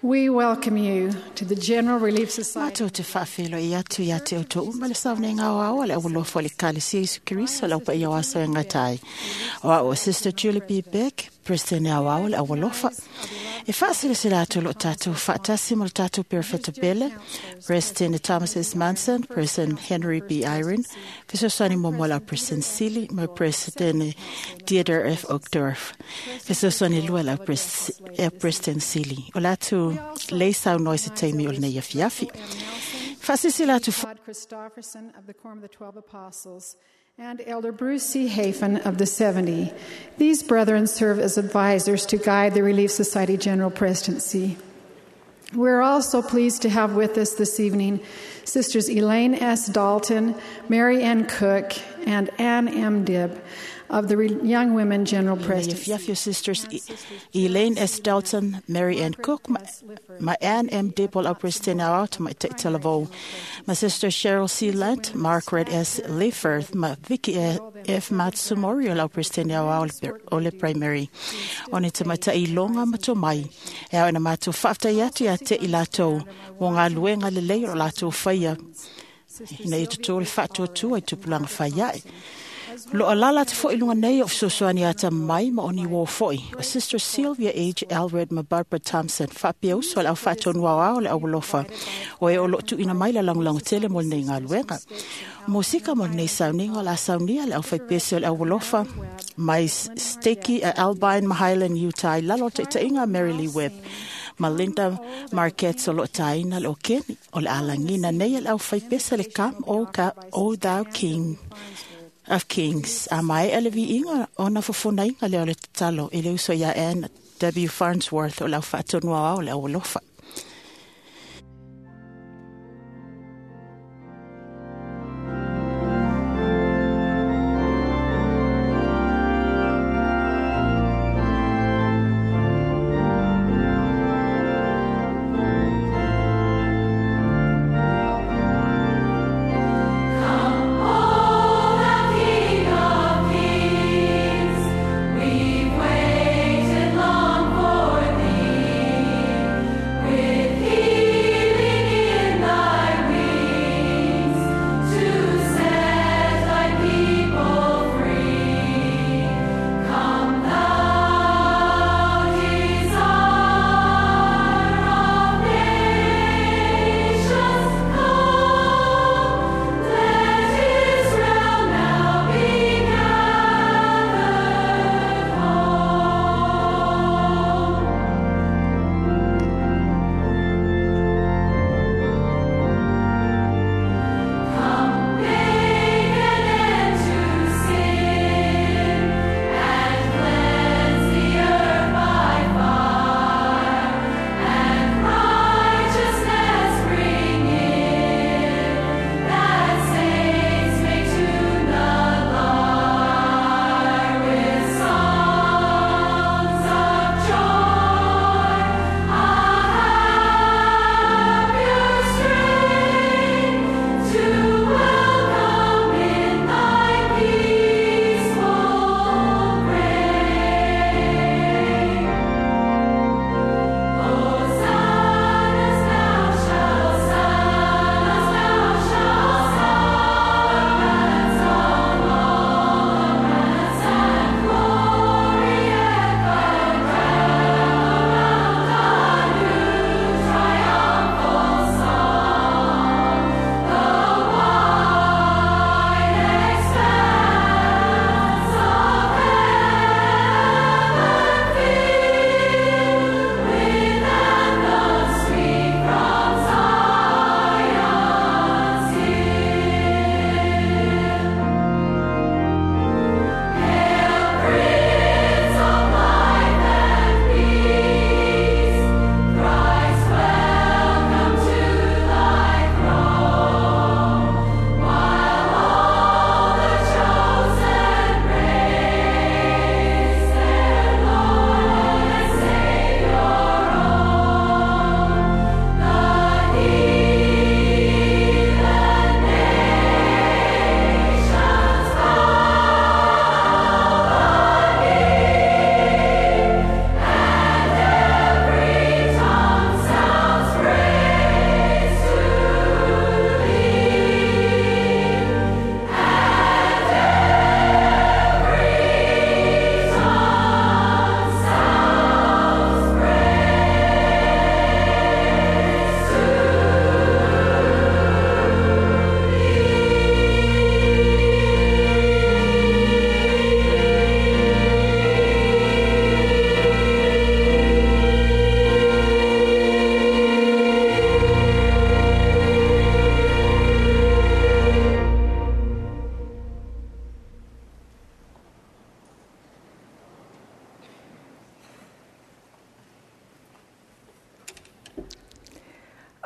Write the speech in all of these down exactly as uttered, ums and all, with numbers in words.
We welcome you to the General Relief Society. Matou te faafeiloai atu ia te outou uma le saunoaga aoao a le aualofa o le Ekalesia Iesu Keriso o le aupaia o aso e gata ai. O au o Sister Julie B. Beck, President aoao o le aualofa. E faasilasila atu o loo tatou faatasi ma le tatou Perefeta Pele, President Thomas S. Monson, President Henry B. Eyring, fesoasoani muamua lau President Sili ma President Dieter F. Uchtdorf. Fesoasoani lua lau Pres- eh, President Sili. O le atu lei saunoa i se taimi o lenei afiafi. Faasilasila atu Todd Christofferson of the Quorum of the Twelve Apostles and Elder Bruce C. Hafen of the Seventy. These brethren serve as advisors to guide the Relief Society General Presidency. We're also pleased to have with us this evening Sisters Elaine S. Dalton, Mary Ann Cook, and Ann M. Dibb of the Re- Young Women General Lenei Presidency. afiafi o Sisters E- Elaine S. Dalton, Mary Ann Cook, ma, ma Ann M. Dibble au President au ma Talavou, ma Sister Cheryl C. Lent, Margaret S. Leifert, ma Vicky F. Matsumori o lau President au o le Primary. O ni te matai longa ma tō mai. E au ina mātou whaaftai atu ia te i lātou mo ngā luenga le lei o lātou whaia. Ina i tutu le whaatuatua i tupulanga whaiae. Lo alala te foi lunga nei o fesoasoani ata mai ma oni wō foi. O Sister Sylvia H. Alred ma Barbara Thompson. Whapia uso le au whaatonu au ao le au alofa. O e o lo tuina mai la langolango tele mo lenei ngā luenga. Mo sika mo lenei sauninga o la saunia le au whaipese o le au alofa. Mai Steki a Albine Mahilan Utah i lalo te tainga Mary Lee Webb. Ma Linda Marquette o lo taina le o keni o le alangina nei le au whaipese le kam o ka o thou king of Kings. A mai ele vi inga o na fofona inga le o le tatalo e le uso ia Ann W. Farnsworth o lau whaatonua au le au alofa. We've waited long for thee.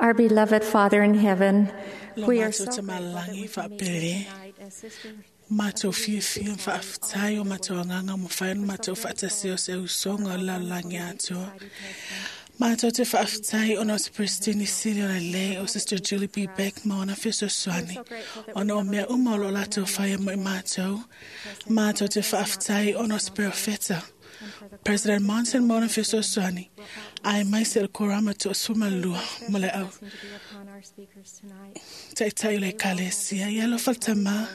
Our beloved Father in heaven, Lo we are mātou so te grateful that malangi we can meet whaapere. tonight as sisters Mātou fiafia whaaftai o mātou anganga mo whainu mātou whaatasi o se usonga o lalangi atua. Mātou te whaaftai o te Pristini Siri o le lei o Sister Julie B. Beck ma ona whiso swani. Ona o mea uma o lo lātou whaia mo i mātou. Mātou te whaaftai o te Profeta. President Monson ma ona whiso swani. Ai mai se korama to suma lua mo le au. to be upon our speakers tonight. Taitai le kalesia ia lo faltama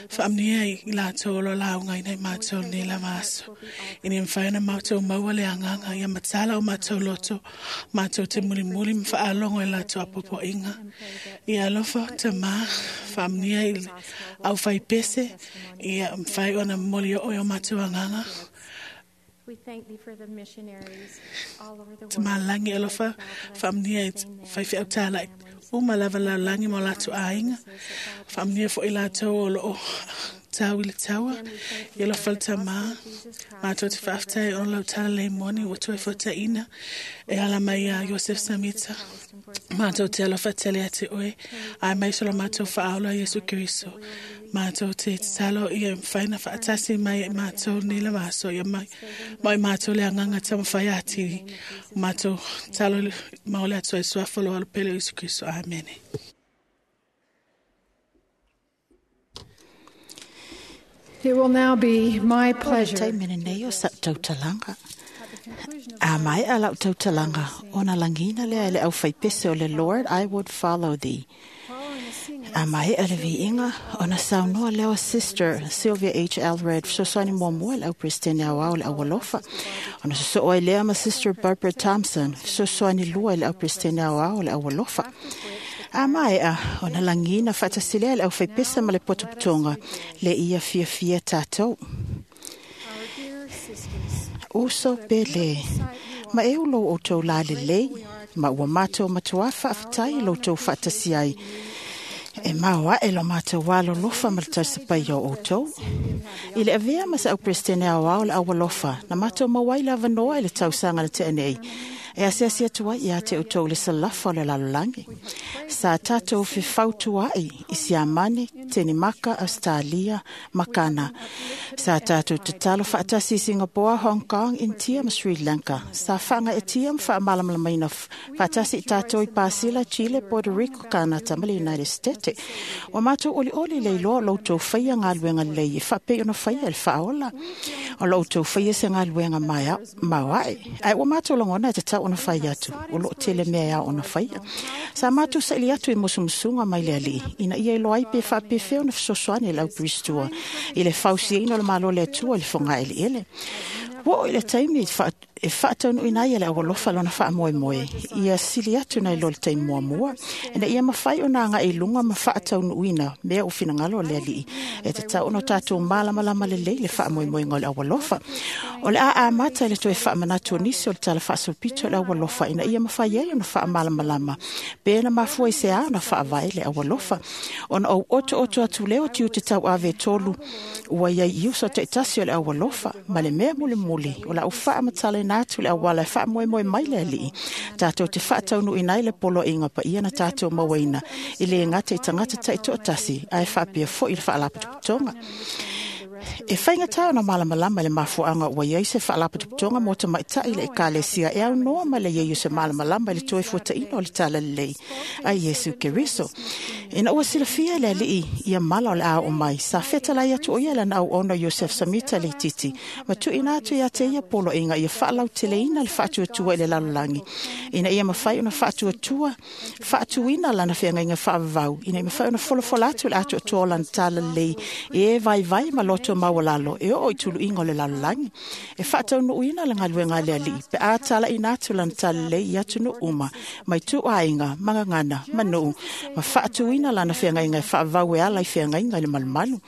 faamnia i latou o lo lauga ina i matou nei lava aso. Ina mafai ona matou maua le agaga ia matala o matou loto, matou te mulimuli ma faalogo i latou apoapoaiga. Ia alofa tamā faamnia i le aufaipese ia mafai ona momoli oo i o matou agaga. We thank thee for the missionaries all over the world. Tamalangi alofa faamnia i faifeau talai uma lava lalagi ma o latou aiga. Faamnia foʻi latou o loo tau i le taua ia alofa le tamā. Matou te faafetai ona lau tala lei moni ua toe fuataʻina e ala mai iā Iosef Samita. Matou te alofa tele ate oe ae mai so lo matou faaola Iesu Keriso. Matou te tatalo ia mafai ona faatasi mai e matou nei lava aso ia mai ma i matou le agaga taumafai atili. O matou talo ma o le Atua i suafa o lo alopele o Iesu Keriso. Amene. It will now be my O le pleasure taimi lenei o sa'u tautalaga. at the conclusion of A mai a lau tautalaga, ona lagina lea e le aufaipese o le Lord, I would follow thee. following the singing A mai a le viiga, ona saunoa leo Sister Sylvia H. Alred, fesoasoani muamua i le auperesetene aoao le aualofa. Ona sosoo ai lea ma Sister Barbara Thompson, fesoasoani lua i le auperesetene aoao le aualofa. A maea, ona lagina faatasi lea le aufaipese ma le potopotoga, le ia fiafia tatou. our dear sisters, Uso pele. Ma e ulo o tau la lelei, ma ua mātou matua faafetai lo tou faatasi ai. E maua e lo mātou walo lofa ma le tausapai o outou. I le avea ma sa au presidente au au le aualofa, na mātou mauai lava noa i le tausaga le tea nei. E asiasi atu ai ia te outou le salafa o le lalolagi. Sa tātou fefautua'i i Siamani, Tenimaka, Australia, Makana. Sa tātou tatalo faatasi i Singapore, Hong Kong, Intia ma Sri Lanka. Sa whaanga e tia ma whaamalamalamaina faatasi i tātou i Pasila, Chile, Puerto Rico, Kanata ma le United States. O mātou oli oli le iloa lo tou whaia ngā luenga lei e whapei ona whaia le whaola. O lo tou whaia se ngā luenga mai mauai. Ai o mātou langona e te tau ona whaia atu. O lo tele mea ea ona whaia. Sa mātou sa ili atu i musumusunga mai le ali. Ina ia iloa ai pe whapewheo na fesoasoani lau pristua. I le fausiaina o le malo le atua i le whonga ele ele. Wo i le taimi e whaataunu ina ia le awalofa lona wha moe moe. Ia sili atu nei lo le taimi mua mua. Ina ia mawhai o nā ngā i lunga ma whaataunu ina mea o whinangalo le alii. E te tau ono tātou mālamalama le lei le wha moe moe ngā le awalofa. O le a a mata le toe wha manatu o nisi o le tala whaasopito le awalofa. Ina ia mawhai ai ona wha malamalama. Pēna mafua i se a ona wha vai le awalofa. Ona o oto oto atu leo tiu te tau ave tolu. Ua ia i uso te tasi o le awalofa. Ma le mea mule mule. O la o wha matale nā atu le awala e wha moe moe mai le alii. Tātou te whaataunu inai le polo inga pa ia na tātou mawaina. I le ngata i tangata tai to'atasi, ai whaapia fo i le whaalapatopotonga. E whainga tā ona malamalama le mafuanga ua iai se whaalapatopotonga mō te maitai le ekalesia e au noa ma le iei o se malamalama le toe fuataina o le tala lelei a Iesu Keriso. Ina ua silafia le alii ia mala o le ao mai, sa fetalai atu o ia lana au ono Joseph Samita le titi, ma tuuina atu ia te ia polo inga ia faalauteleina le faatuatua i le lalolagi. Ina ia mafai ona faatuatua, faatuina lana feagaiga faavavau, ina ia mafai ona folafola atu le atoatoa o lana tala lelei e vaivai ma loto maualalo e oo i tuluiga o le lalolagi. E faataunuuina le galuega a le alii, pe a talaina atu lana tala lelei i atunuu uma, mai tuuaiga, magagana, manuu, ma faatuina lana feagaiga e faavavau e ala i feagaiga i le malumalu.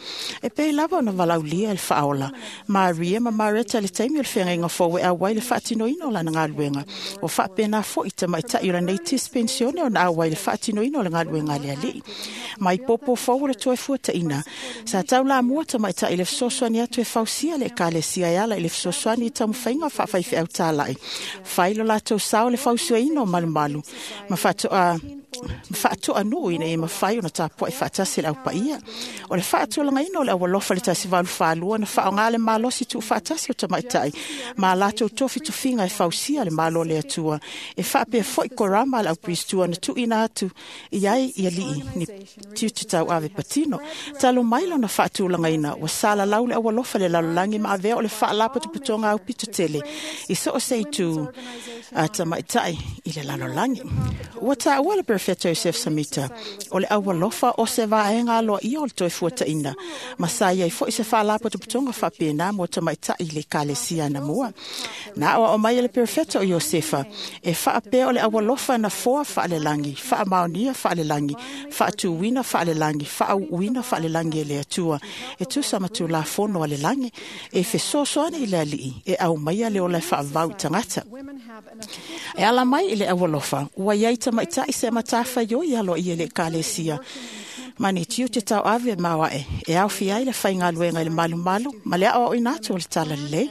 E pei lava ona valaulia e le faaola. Maria ma Mareta le taimi o le feagaiga fou e auai le faatinoina o lana galuega. O faapena foʻi tamaitaʻi o lanei tisi pensione ona auai le faatinoina o le galuega a le alii. Mai popo fou o le toe fuataʻina. Sa taulamua tamaitaʻi le fesoasoani atu e fausia le ekalesia e ala i le fesoasoani i taumafaiga faafaifeau tāla'i fai lo latou sao le fausuaina o malumalu ma faatoa ma faatoanuu ina ia mafai ona tapua'i faatasi le aupaia. O le faatulagaina o le aualofa le tasi valu falua na faaaogā le malosi tuufaatasi o tamaita'i ma latou tofitofiga e fausia le Malo o le Atua e faapea fo'i korama a le aupiristua na tuuina atu i ai i alii ni tiute tauave patino. Talu mai lona faatulagaina ua salalau le aualofa le lalolagi ma avea o le faalapotopotoga aupito tele i so o se itu a tamaita'i i le lalolagi. Ua taua le Perefeta Joseph Samita o le aualofa o se vaega aloaia o le toe fuataʻina ma sa iai foʻi se faalapotopotoga faapena mo tamaitaʻi i le ekalesia anamua. Na aoao mai e le Perefeta o Iosefa e faapea o le aualofa na foa faalelagi, faamaonia faalelagi, faatuina faalelagi, faauuina faalelagi e le Atua e tusa ma tulafono a le lagi e fesoasoani i le alii e aumaia le ola e faavavau i tagata. E ala mai i le aualofa ua iai tamaitaʻi se matafaioi aloaia i le ekalesia ma ni tiute tauave maoaʻe e aofia ai le faigaluega i le malumalu ma le aoaoina atu o le talalelei.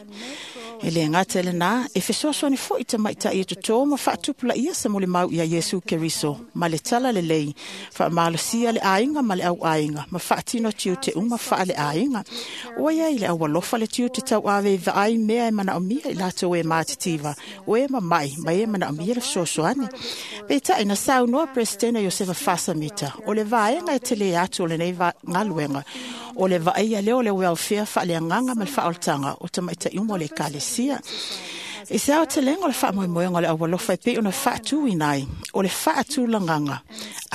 E le gata i lenā e fesoasoani foʻi tamaitaʻi e totō ma faatupulaia sa molimau ia Iesu Keriso ma le talalelei faamalosia le aiga ma le auaiga ma faatino tiute uma faaleaiga. Ua iai le aualofa le tiute tauave i vaai mea e manaomia i latou e matitiva o e mamaʻi ma e manaomia le fesoasoani. Peitaʻi na saunoa Peresetene Iosefa Fasamita o le vaega e telē atu o lenei galuega o le vaaia lea o le welfare faaleagaga ma le faaolataga o tamaitaʻi uma o le ekalesia. I se aotelega o le faamoemoega o le aualofa e pei ona faatuina ai o le faatulagaga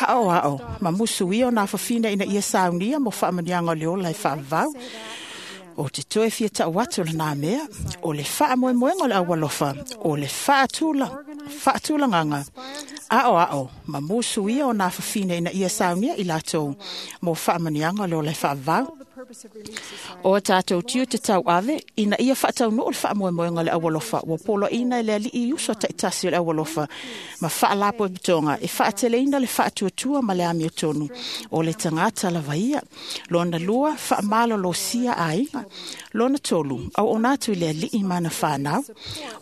aoao ma musuia o nā fafina ina ia saunia mo faamanuiaga o le ola e faavavau. O te toe fia taʻu atu o lenā mea o le faamoemoega o le aualofa o le faatula faatulagaga aoao ma musuia o nā fafina ina ia saunia i latou mo faamanuiaga o le ola e faavavau. O tatou tiute tauave ina ia faataunuu le faamoemoega o le aualofa ua poloaʻina e le alii uso taʻitasi o le aualofa ma faalapotopotoga e faateleina le faatuatua ma le amiotonu o le tagata lava ia. Lona lua, faamalolosia aiga. Lona tolu, auauna atu i le alii ma ana fanau.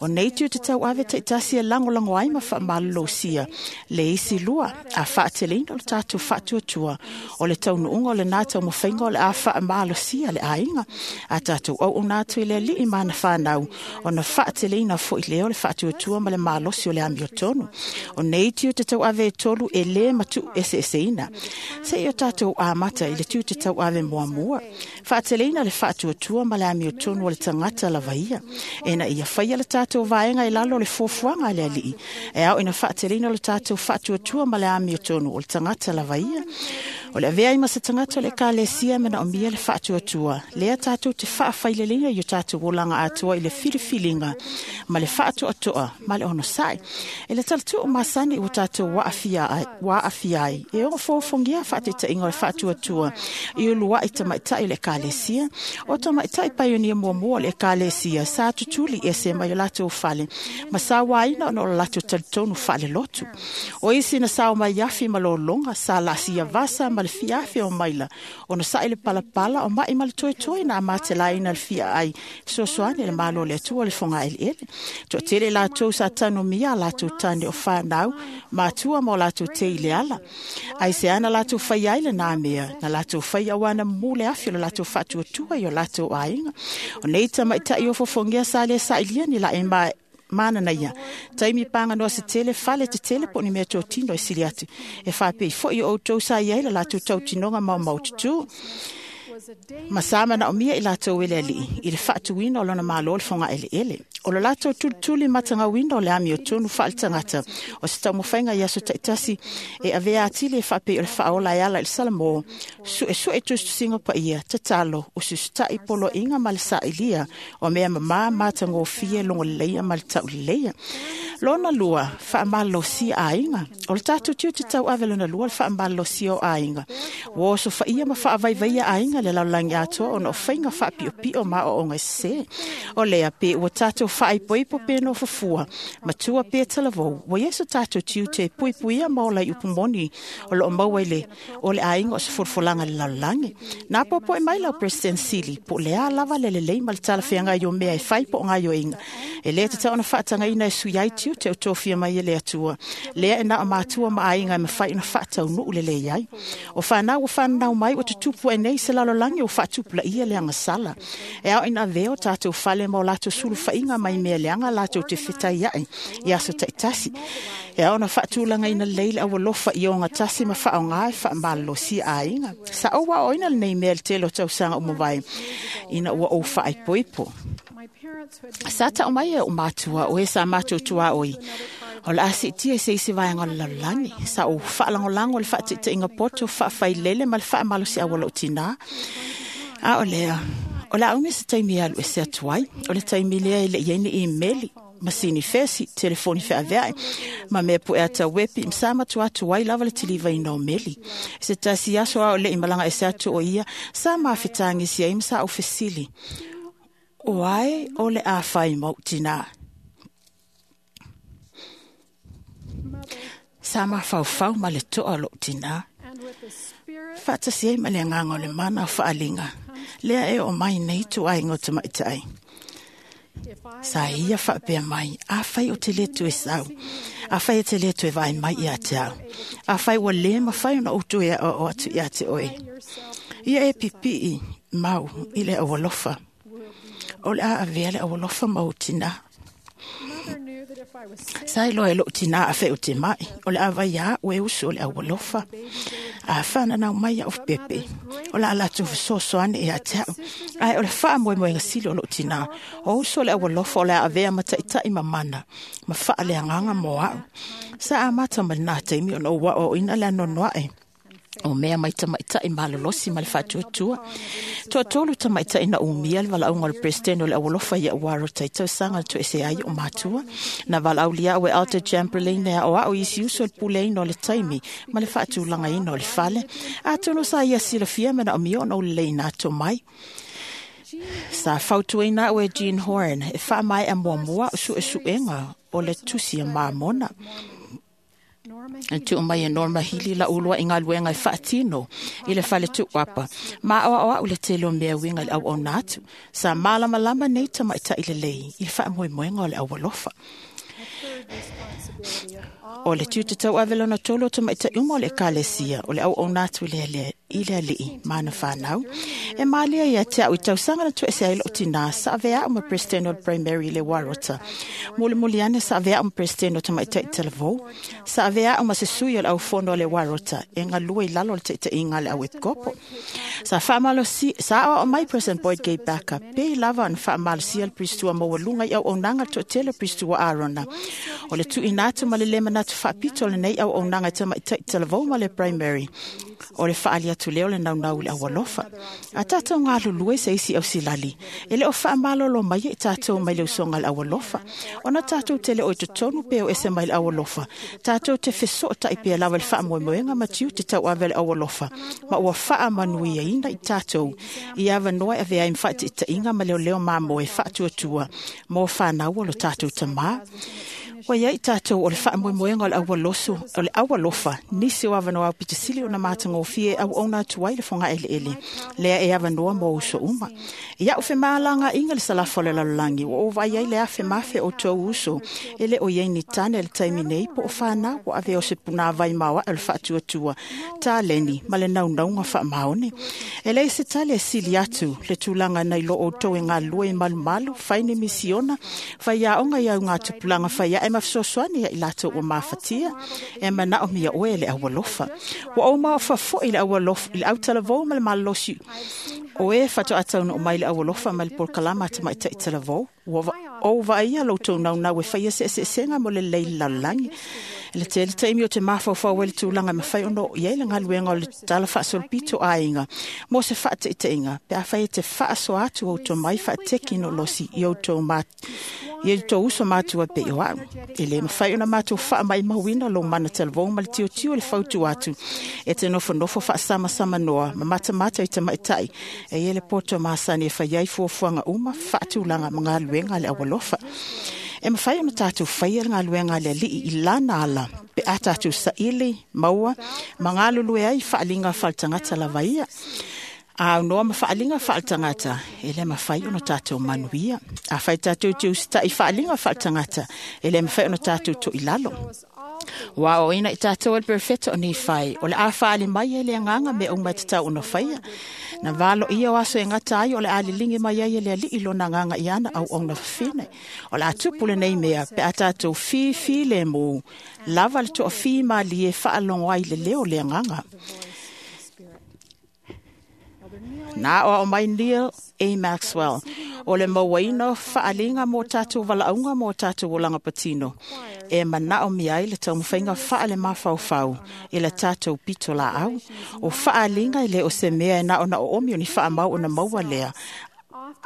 O nei tiute tauave taʻitasi e lagolago ai ma faamalolosia le isi lua a faateleina o le tatou faatuatua o le taunuuga o lenā taumafaiga o le a faamalosia le aiga a tatou auauna atu i le alii ma ana fanau ona faateleina foʻi lea o le faatuatua ma le malosi o le amiotonu. O nei tiute tauave e tolu e lē matuʻu eseeseina. Seʻi o tatou amata i le tiute tauave muamua faateleina le faatuatua ma le amiotonu o le tagata lava ia ina ia faia le tatou vaega i lalo o le fuafuaga a le alii e ao ina faateleina o le tatou faatuatua ma le amiotonu o le tagata lava ia. O le avea ai ma se tagata o le ekalesia manaomia le faatuatua lea tatou te faafaileleina i o tatou olaga atoa i le filifiliga ma le faatoatoa ma le onosaʻi. E le talatuu masani ua tatou aafia ai, ua aafia ai e ogo fofogia faataitaiga o le faatuatua i uluaʻi tamaitaʻi o le ekalesia. O tamaitaʻi paionia muamua o le ekalesia sa tutuli ese mai o latou fale ma sauaina ona o le latou talitonu faalelotu. O isi na sao mai afi ma lologa sa laasia vasa ma le fiafi o maila ona saʻi le palapala o maʻi ma le toetoe na amatelaina le fia ai fesoasoani le Malo o le Atua o le fogaʻeleʻele. Toatele latou sa tanomia a latou tane o fanau matua ma o latou te i le ala. Ai se ana latou fai ai lenā mea na latou fai auana mumu le afi o le latou faatuatua i o latou aiga. O nei tamaitaʻi o fofogia sa lē saʻilia ni laʻi ma manana ia taimi paganoa se tele fale tetele po o ni mea totino e sili atu e faapei foʻi o outou sa iai le latou tautinoga maumau tutū ma sa manaomia i latou e le alii i le faatuina o lona malo le fogaʻeleʻele. O lo latou tulituli matagauina o le amiotonu faaletagata o se taumafaiga i aso taʻitasi e avea atili e faapei o le faaola e ala i le Salamō suʻesuʻe tusitusiga paia tatalo ususitaʻi poloaʻiga ma le saʻilia o mea mamā matagofie logoleleia ma le taʻuleleia. Lona lua, whaamalosi aiga. O le tātou tiu te tau ave lona lua, le whaamalosi o aiga. Ua oso whaia ma whaavaivaia aiga le laulangi atoa ona o whainga whaapio ma o onga se. O lea pe ua tātou whaaipoipo pe no fufua. Matua pe talavou. Ua ieso tātou tiu te puipuia ma o lai upumoni o loo maua i le o le aiga o se fulfulanga le laulangi. Nā popo e mai lau President Sili, po lea lava le lelei ma le talawhianga i o mea e whai po ngā ioinga. E lea te tau ona whaatanga ina e sui ai tiu te o tōfia mai e le atua. Lea e nā o mātua ma aiga e mawhai ona whaatau nuu le le iai. O whanau o whanau mai o te tupu e nei se lalolangi o whaatupula ia le anga sala. E au ina veo tātou whale ma o lātou sulu whainga mai mea leanga lātou te whitai ai. I aso taitasi. E au na whaatulanga ina leile au alofa i o ngā tasi ma whaonga e whaamalosi aiga. Sa o wa oina le nei mea le telo tausanga o mawai ina ua o whaaipoipo. Sa ta o mai e o mātua o e sa mātua tua oi. O la asi tia se isi vaenga o le lalolagi. Sa o whaalangolango le whaatitainga poto, whaawhailele ma le whaamalosi awala o tina. A o lea, o la aunga se taimi alu e se atuai. O le taimi lea e le ieni i meli. Masini fesi, telefoni whaavea, ma mea po ea tau wepi, msa matua atu ai lava le tiliva i nau meli. Se tasi aso ao le imalanga e se atu o ia, sa mawhitangi si ai msa au fesili. O ai o le a whai mau tina. Sa mawhauwhau ma le toa lo tina. Whaatasi ai ma le nganga o le mana o whaalinga. Lea e o mai nei tu ai ngō te maitai. Sa ia whaapea mai, a whai o te letu e sau, a whai e te letu e vai mai ia te au, a whai ua le ma whai ona utu e o o atu ia te oe. Ia e pipii mau i le awalofa. O le a avea le awalofa mau tina. Sa iloa e loo tina a wheo te mai, o le awa ia ue usu o le awalofa. A whana nau mai au pepe, o la ala tu sosoane e a te au. Ai o le wha moe moe ngasili o loo tina, o usu o le awalofa o le avea mataitai mamana, ma wha le anganga mo au. Sa amata ma nā teimi o no wa o ina le anonoa e. O mea mai tamaitai malolosi ma le whaatuatua. Toa tolu tamaitai na umia le walaunga o le president o le awalofa ia uaro taitau sanga le tuese ai o mātua. Na walaulia au e Alta Chamberlain e o au isi uso le puleina o le taimi ma le whaatulanga ina o le fale. A tono sa ia silafia mena o mio ona o le leina ato mai. Sa fautuina au e Jean Horn e wha mai a muamua o su e suenga o le tusi a maamona. Tu mai e Norma Hili la ulua i ngā luenga i whaatino i le whale tuapa. Ma oa oa ule te lo mea winga le au o nātu. Sa malama lama nei tama i ta i le lei i le wha moe o le awalofa. O le tiu te tau avelona tolo tama i ta uma o le ekalesia o le au o nātu le le i le alii mana whanau. E maalia ia te au i tausanga na tuese ai loo tina sa avea o ma president o primary le warota. Mole mole ane sa avea o ma president o tamaitai talavou. Sa avea o ma se sui o le au fono le warota. E ngā lua i lalo le teita inga le au epkopo. Sa whaamalosi, sa o mai President Boyd Gay Backer. Pe lava an whaamalosia le pristua mawalunga i au o nanga to tele pristua Arona. O le tui nātu ma le lema nātu whaapito le nei au o nanga tamaitai talavou ma le primary. O le whaali atu leo le nau nau le awalofa. A tātou ngā lulue se isi au silali. E le o whaamalolo mai e tātou mai le usonga le awalofa. Ona tātou te le oi totonu pe o ese mai le awalofa. Tātou te feso o taipea lawa le whaamoemoenga matiu te tau ave le awalofa. Ma ua whaamanuia ina i tātou. I awa noa e vea i mwhaati i tainga ma leo leo māmoe whaatuatua. Mō whānau o lo tātou tamā. Wa ia i tātou o le whaamoemoenga o le awaloso, o le awalofa, nisi o awanoa au pitasili o na mātangōfie au ona atu ai le whanga ele ele, lea e awanoa mō uso uma. Ia o whemaalanga inga le salafa o le lalolagi, o o vai ai le awhe mafe o tō uso, e le o iei ni tane le taimi nei po o whanau o ave o se puna vai maua o le whaatuatua, tā leni ma le naungaunga whaamaone. E le se tale sili atu le tūlanga nei lo o tau e ngā lua i malumalu, whai ne misiona, whai aonga iau ngā tupulanga whai e mawhisosoani i lātou o māwhatia, e mana o mia oe le awalofa. Wa o maofa foi le awalofa, le autalavou ma le malosi. O e whato atauna o mai le awalofa ma le polkalama te mai taitalavou. Ua o vaia lo tau nau nau e whaia se se senga mo le leila lalani. Le tele taimi o te mafaufau ai le tulaga e mafai ona oo i ai le galuega o le tala faasolopito aiga mo se faataitaiga pe afai e te faasoa atu ou tomai faatekinolosi i outou i outou uso matua pei o au. E lē mafai ona matou faamaumauina lou mana talavou ma le tiotio o le fautu atu e te nofonofo faasamsamanoa ma matamata i tamaʻitaʻi e ia le poto masani e fai ai fuafuaga uma faatulaga ma galuega a le aualofa. E mafai ona tatou faia le galuega a le alii i lana ala pe a tatou saili maua ma galulue ai faaliga faaletagata lava ia. A aunoa ma faaliga faaletagata e lē mafai ona tatou manuia. Afai tatou te usitaʻi faaliga faaletagata e lē mafai ona tatou toʻilalo. Ua aoaoina i tatou e le perofeta o Nifai o le a faali mai ai le agaga mea uma e tatau ona faia. Na valoia o aso e gata ai o le a liligi mai ai e le alii lona agaga i ana auauna fafine. O le a tupu lenei mea pe a tatou fifi lemu lava le toafimalie faalogo ai le leo o le agaga. Na aoao mai Neil A. Maxwell o le mauaina o faaliga mo tatou valaauga mo tatou olaga patino e manaomia ai le taumafaiga faale-mafaufau i le tatou pito laau. O faaliga e lē o se mea e na ona oomi o ni faamau ona maua lea,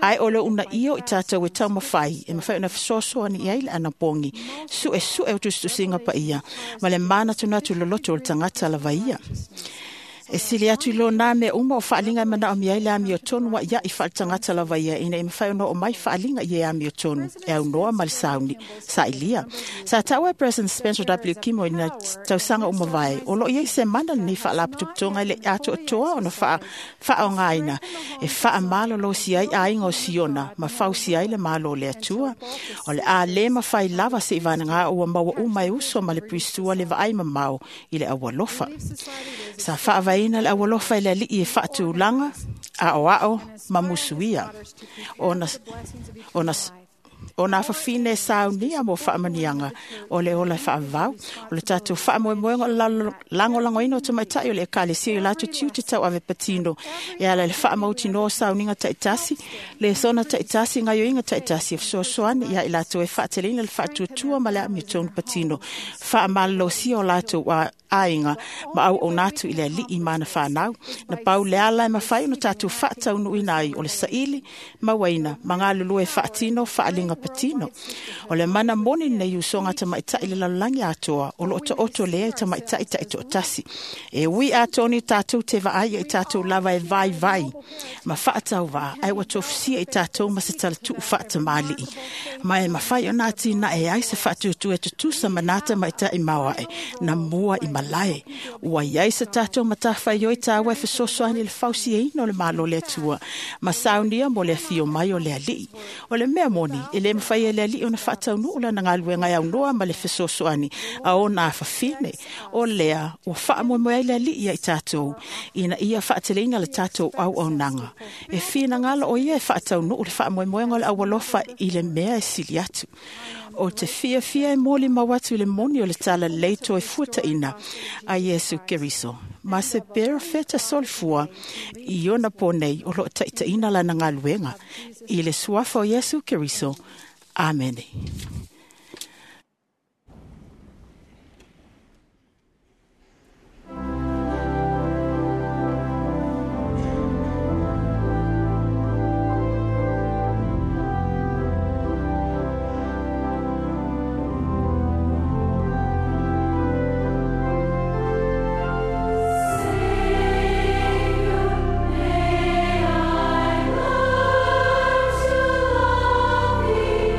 ae o le uunaia o i tatou e taumafai e mafai ona fesoasoani i ai le anapogi suesue o tusitusiga paia ma le manatunatu loloto o le tagata lava ia. E sili atu i lona mea uma o faaliga e manaomia ai le amiotonu aʻiaʻi faaletagata lava ia ina ia mafai ona oo mai faaliga i e amiotonu e aunoa ma le sauni sailia. Sa taua e President Spencer W. Kimo i nā tausaga uma vae o loo i ai se mana lenei faalapotopotoga i le atoatoa ona faaogaina e faamalolosi ai aiga o Siona ma fausi ai le malo o le Atua. O le a lē mafai lava seʻi vagagā ua maua uma e uso ma le puisua le vaai mamao i le aualofa. Sa faavaeina le aualofa i le alii e faatulaga aoao ma musuia ona ona ona afafine saunia mo faamaniaga o le ola e faavavau. O le tatou faamoemoega o le lagolagoina o tamaitaʻi o le ekalesia i latou tiute tauave patino e ala i le faamautinoa o sauniga taʻitasi, lesona taʻitasi, gaioiga taʻitasi e fesoasoani ia i latou e faateleina le faatuatua ma le amiotonu patino faamalolosia o latou aiga ma auauna atu i le alii ma ana fanau. Na pau le ala e mafai ona tatou faataunuuina ai o le saili mauaina ma galulue faatino faaliga patino. O le mana moni lenei usoga tamaʻitaʻi le lalolagi atoa o loo taoto lea i tamaʻitaʻi taʻitoatasi. E ui atoni tatou te vaai i tatou lava e vaivai ma faatauvā ae ua tofusia i tatou ma se talatuu faatamalii ma e mafai ona atinae ai se faatuatua e tutusa ma nā tamaʻitaʻi maoaʻe na mua i malae. Ua iai se tatou matafaioi taua e fesoasoani i le fausiaina o le malo o le Atua ma saunia mo le afio mai o le alii. O le mea moni e lē mafai e le alii ona faataunuu lana galuega e aunoa ma le fesoasoani a ona afafine. O lea ua faamoemoe ai le alii ia i tatou ina ia faateleina le tatou auaunaga. E finagalo o ia e faataunuu le faamoemoega o le aualofa i le mea e sili atu. O te fiafia e molimau atu i le moni o le talalelei toe fuataʻina a Iesu Keriso ma se perofeta solifua i ona po nei o loo taʻitaʻina lana galuega i le suafa o Iesu Keriso. Amene. May I learn to love thee,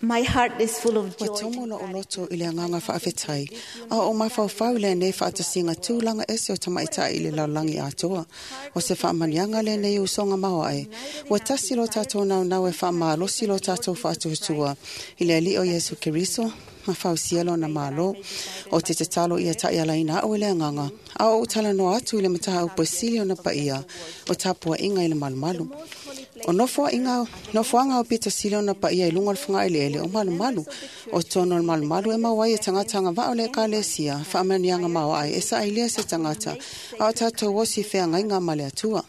My heart is full of Ua joy. tomo lo oloto i le anganga whaafetai, a o mafaufau le nei whaatasinga tūlanga ese o tamaitai i le lalagi atoa. O se whaamanianga le nei usonga maoae. Ua tasi lo tātou nau nau e whaamalosi lo tātou whaatuatua. I le alii o Iesu Keriso, ma fausia lona malo. O te te talo ia tai alaina au i le anganga. A o utala noa atu i le mataha upasili o na paia. O tapua inga i le malumalu. O nofoa inga, nofoanga o pito sili ona paia i lunga o le whanga ele ele o malumalu. O tono o le malumalu e mawai e tangata anga vao le ekalesia, whaamanianga maua ai e sa ailia se tangata, a o tātou osi whea ngainga ma le atua.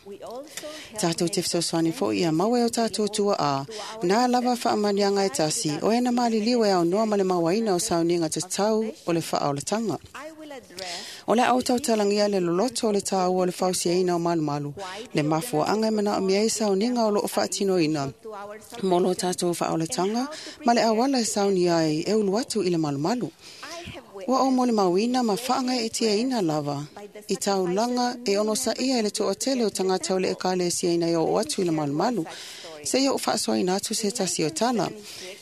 Tātou te fesoasoani foi ia maua e o tātou tua a, nā lava whaamanianga e tasi, o ena maliliu e au noa ma le mauaina o sauninga te tau o le whaaolatanga. O le au tautalangia le loloto o le tāua o le fausiaina o malumalu, le mafuaanga e mana o mea i sauninga o loo whaatinoina. Mo lo tātou whaolatanga, ma le awala e sauni ai e ulu atu i le malumalu. Ua o mo le mauina ma whaanga e tia ina lava. I taulanga e ono sa ia i le toatele o tangata o le ekalesia ina i o atu i le malumalu. Se ia o whaasoaina atu se tasi o tala.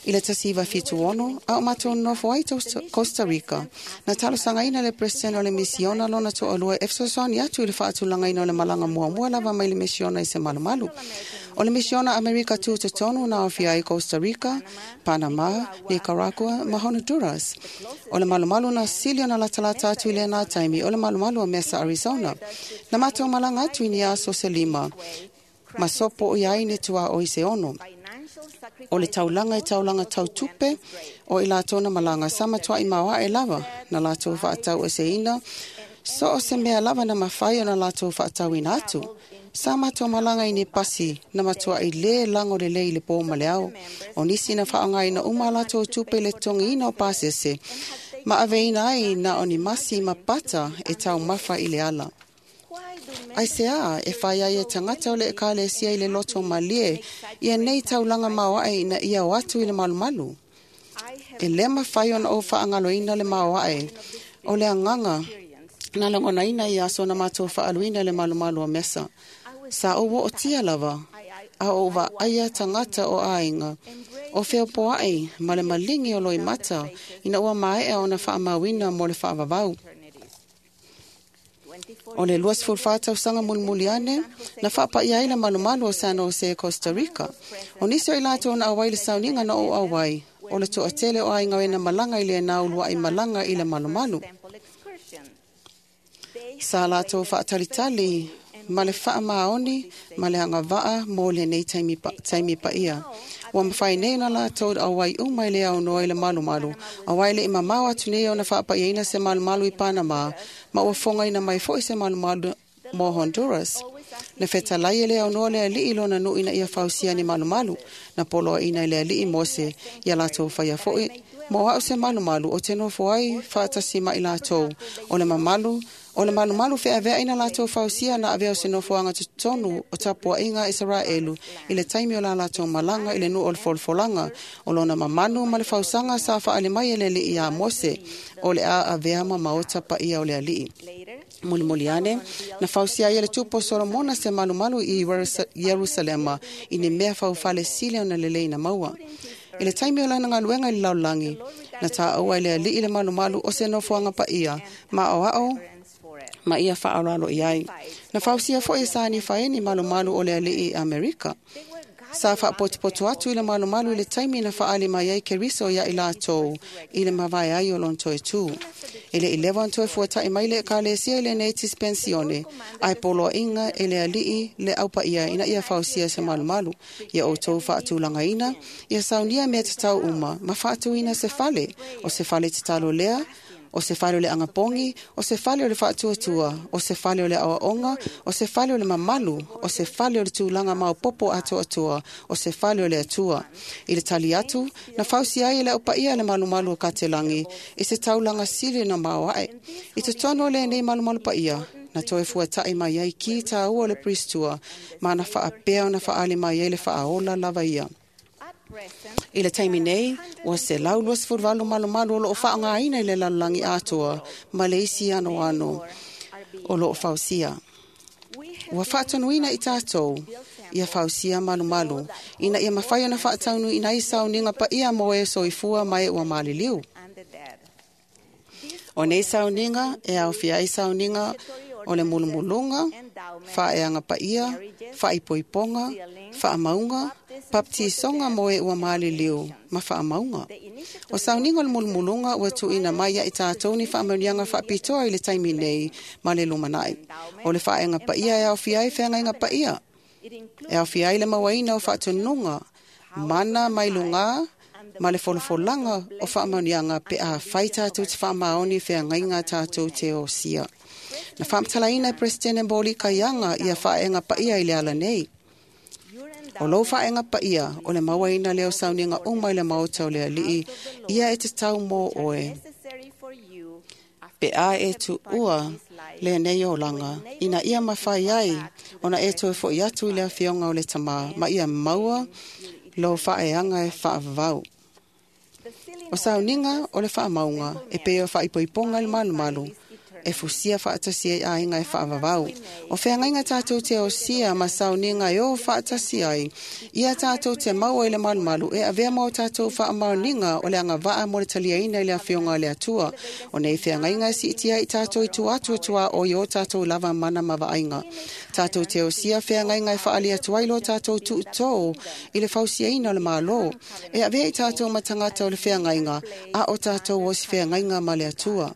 I le tasi iwa fitu ono, a o matou nofo ai Costa Rica. Na talosangaina le president o le misiona lona to'alua e fesoasoani atu i le faatulagaina o le malaga muamua lava mai le misiona i se malumalu. O le misiona Amerika tūtotonu na aofia ai Costa Rica, Panama, Nicaragua ma Honduras. O le malumalu na sili ona latalata atu i lena taimi o le malumalu o Mesa, Arizona. Na matou malaga atu i ni aso se lima. Ma sopo o iai ni tua o i se ono. O le taulanga e taulanga tautupe o i lātou na malanga sama toa i maua e lava na lātou whaatau e se ina. So o se mea lava na mawhai o na lātou whaatau ina atu. Sa matou malanga i ni pasi na matua i le lango le lei le pō ma le ao. O nisi na whaangai na uma lātou tupe le tongi ina o pasese. Ma aveina ai na o ni masi ma pata e tau mawha i le ala. Ai se a, e whai ai e tangata o le ekalesia i le loto malie, ia nei taulanga maoae ina ia o atu i le malumalu. E le mawhai ona o whaangaloina le maoae, o le anganga, na langonaina i aso na mātou whaaluina le malumalu o Mesa. Sa o wo o tia lava, a o wa aia tangata o ainga, o whiopoai ma le malingi o loi mata, ina ua maea ona whaamauina mo le whaavavau. O le luas fulfata o sanga mulmuliane, na whaapai ai le malumalu o San Jose, Costa Rica. O nisi o i lātou na awai le sauninga na o awai, o le toatele o ainga e na malanga i le naulua i malanga i le malumalu. Sa lātou whaatalitali, ma le whaamaoni, ma le angavaa mo le nei taimi pa, taimi paia. Ua mawhai nei na lātou awai uma i le au noa i le malumalu. Awai le imamau atu nei o na whaapaiaina se malumalu i Panama, ma ua fonga ina mai foi se malumalu mo Honduras. Na fetalai e le au noa le alii lona nui ina ia fausia ni malumalu, na poloa ina i le alii Mose, ia lātou whaia foi, mo au se malumalu o te nofo ai whaatasi mai lātou, o le mamalu, o le malumalu wheawea ina lātou fausia na avea o se nofoanga totonu o tapuainga Israelu i le taimi o la lātou malanga i le nu o le folfolanga o lona mamanu ma le fausanga sa whaale mai e le alii a Mose o le a avea ma maota paia o le alii. Mulimuliane, na fausia ia le tupo Solomona se malumalu i Yerusalema i ni mea faufale sile o na lelei na maua. I le taimi o lana ngaluenga i le laulangi, na tāua i le alii le malumalu o se nofoanga paia, ma o ao ma ia whaaralo i ai. Na fausia foi e sani whaeni malumalu o le alii i Amerika. Sa whaapotupotu atu i le malumalu i le taimi na whaali mai ai Keriso ia i lātou i le mawae ai o lontoe tū. I le ilewa antoe fuatai mai le ekalesia i le nei tispensione, ai poloa inga e le alii le aupaia ina ia fausia se malumalu, ia o tau whaatulanga ina, ia saunia mea tatau uma, ma whaatuina se fale, o se fale tatalo lea, o se fale o le angapongi, o se fale o le whaatuatua, o se fale o le awaonga, o se fale o le mamalu, o se fale o le tūlanga maupopo atoatua, o se fale o le atua. I le tali atu, na fausi ai e le aupaia le malumalu o katelangi, i se taulanga sili na maoae. I te tono le nei malumalu paia, na toe fuatai mai ai ki tāua o le pristua, ma na whaapea o na whaali mai ai le whaaola lava ia. I le taimi nei, ua se lau luas furvalu malumalu o loo whaangaina i le lalulangi atoa, ma le isi ano ano o loo fausia. Ua whaatonuina i tātou, ia fausia malumalu ina ia mafai ona faataunuuina ai sauniga paia mo e soifua ma e ua maliliu. O nei sauniga e aofia ai sauniga o le mulumuluga, faaeaga paia, faaipoipoga, faamauga, papatisoga mo e ua maliliu ma faamauga. O sauniga o le mulumuluga ua tuuina mai ia i tatou ni faamanuiaga faapitoa i le taimi nei ma le lumanai. O le faaeaga paia e aofia ai feagaiga paia, e aofia ai le mauaina o faatonuga, mana mai lugā ma le folafolaga o faamanuiaga pe a fai tatou te faamaoni feagaiga tatou te osia. Na faamatalaina e Peresetene Moli Kaiaga ia faaeaga paia i le ala nei. O lou faaeaga paia o le mauaina lea o sauniga uma i le maota o le alii, ia e tatau mo oe. Pe a e tuua lenei olaga, ina ia mafai ai ona e toe fo'i atu i le afioga o le Tamā, ma ia maua lou faaeaga e faavavau. O sauniga o le faamauga e pei o faaipoipoga i le malumalu, e fusia faatasi ai aiga e faavavau. O feagaiga tatou te osia ma sauniga e o faatasi ai, ia tatou te maua i le malumalu e avea ma o tatou faamaoniga o le agavaa mo le taliaina i le afioga o le Atua. O nei feagaiga e siitia i tatou i tua atu o tuaoi o tatou lava mana ma vaaiga. Tatou te osia feagaiga e faali atu ai lo tatou tuutō i le fausiaina o le Malo. E avea i tatou ma tagata o le feagaiga, a o tatou o si feagaiga ma le Atua.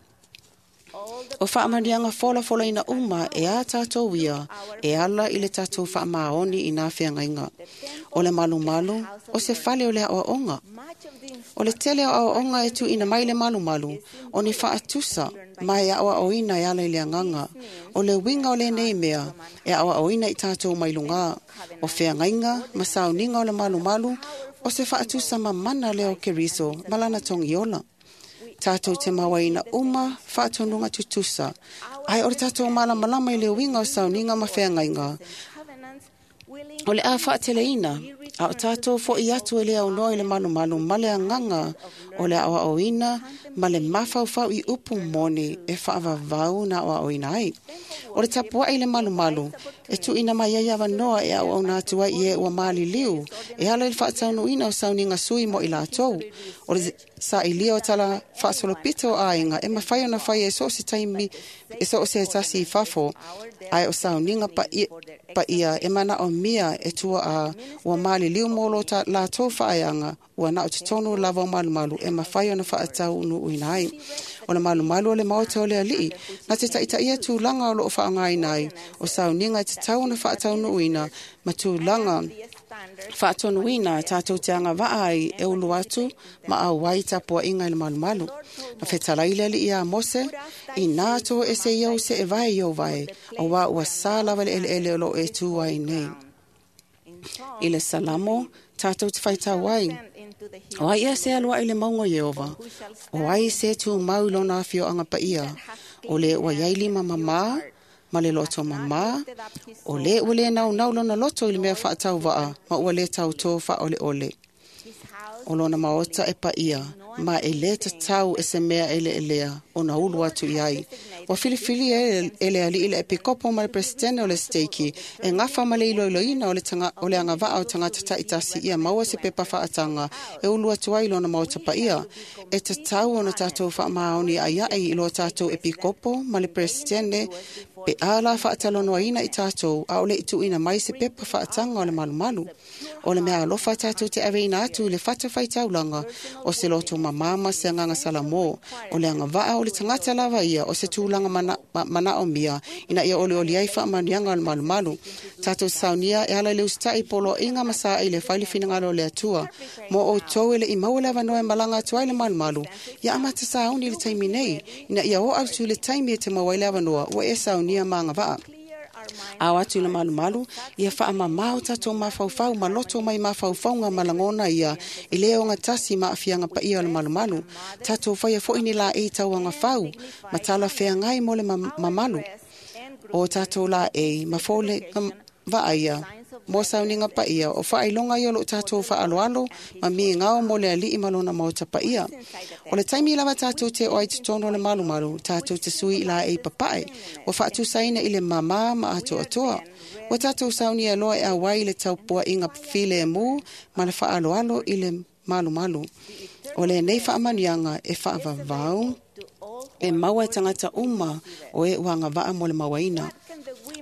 O faamanuiaga folafolaina uma e a tatou ia, e ala i le tatou faamaoni i nā feagaiga. O le malumalu, o se fale o le aoaoga. O le tele o aoaoga e tuuina mai le malumalu, o ni faatusa ma e aoaoina e ala i le agaga. O le uiga o lenei mea, e aoaoina i tatou mai lugā. O feagaiga ma sauniga o le malumalu, o se faatusa mamana lea o Keriso ma lana togiola. Tatou te mauaina uma faatonuga tutusa, ai o le tatou malamalama i le uiga o sauniga ma feagaiga. O le a faateleina, a o tatou fo'i atu e le aunoa i le malumalu ma le agaga o le aoaoina ma le mafaufau i upu moni e faavavau na aoaoina ai. O le tapuai i le malumalu, e tuuina mai ai avanoa e auauna atu ai i e ua maliliu, e ala i le faataunuuina o sauniga sui mo i latou. O le sailia o tala faasolopito o aiga e mafai ona fai e so o se taimi, e so o se tasi i fafo, ae o sauniga paia, paia e manaomia e tua a ua maliliu mo lo latou faaeaga, ua na o totonu lava o malumalu e mafai ona faataunuuina ai. O le malumalu o le maota o le alii, na te taitaia tulaga o loo faaaogaina ai, o sauniga e tatau ona faataunuuina ma tulaga faatonuina tatou te agavaa ai e ulu atu ma auai tapuaiga i le malumalu. Na fetalai le alii iā Mose, inā toe ese ia o se e vae i o vae, auā ua sa lava le eleele o loo e tū ai nei. I le Salamo, tatou te faitau ai, o ai ea se aluai le mauga o Ieova, o ai se tumau i lona afioaga paia, o le ua iai lima mamā, ma le loto mamā, o le ua le naunau lona loto i le mea faatauvaa, ma ua le tautō faaoleole. O lona maota e paia, ma e le tatau e se mea e leelea ona ulu atu i ai. Ua filifili e, e le alii le epikopo ma le presidente o le steiki, e gafa ma le iloiloina o le, tanga, o le agavaa o tagata taitasi ia maua se pepa faataga e ulu atu ai lona maota paia. E tatau ona tatou faamaoni aiai i lo tatou epikopo ma le presidente pe a la faatalanoaina i tatou a o le i tuuina mai se pepa faataga o le malumalu. O le mea alofa tatou te aveina atu i le fatafaitaulaga o se loto mamā ma se agaga salamo. O le agavaa o le tagata lava ia o se tulaga mana, manaomia ina ia olioli ai faamanuiaga o le malumalu. Tatou saunia e ala i le usita'i poloaiga ma saai le fai le finagalo o le Atua. Mo outou e le i maua le avanoa e malaga atu ai le malumalu, ia amata sauni i le taimi nei, ina ia oo atu i le taimi e te maua ai le avanoa ua e saunia ma agavaa. Ao atu i le malumalu, ia faamamā o tatou mafaufau ma loto mai mafaufauga ma lagona ia i le ogatasi ma aafiaga paia o le malumalu. Tatou faia fo'i ni laei tauagafau ma talafeagai mo le mamalu. O tatou laei ma fole vaaia Mo sauniga paia o faailoga ia o loo tatou faaaloalo ma migao mo le alii ma lona maota paia. O le taimi lava tatou te o ai totonu o le malumalu, tatou te sui i laei papae, ua faatusaina i le mamā ma atoatoa. Ua tatou saunia loa e auai i le taupuaiga filemu ma le faaaloalo i le malumalu. O lenei faamanuiaga e faavavau e maua e tagata uma o e ua agavaa mo le mauaina.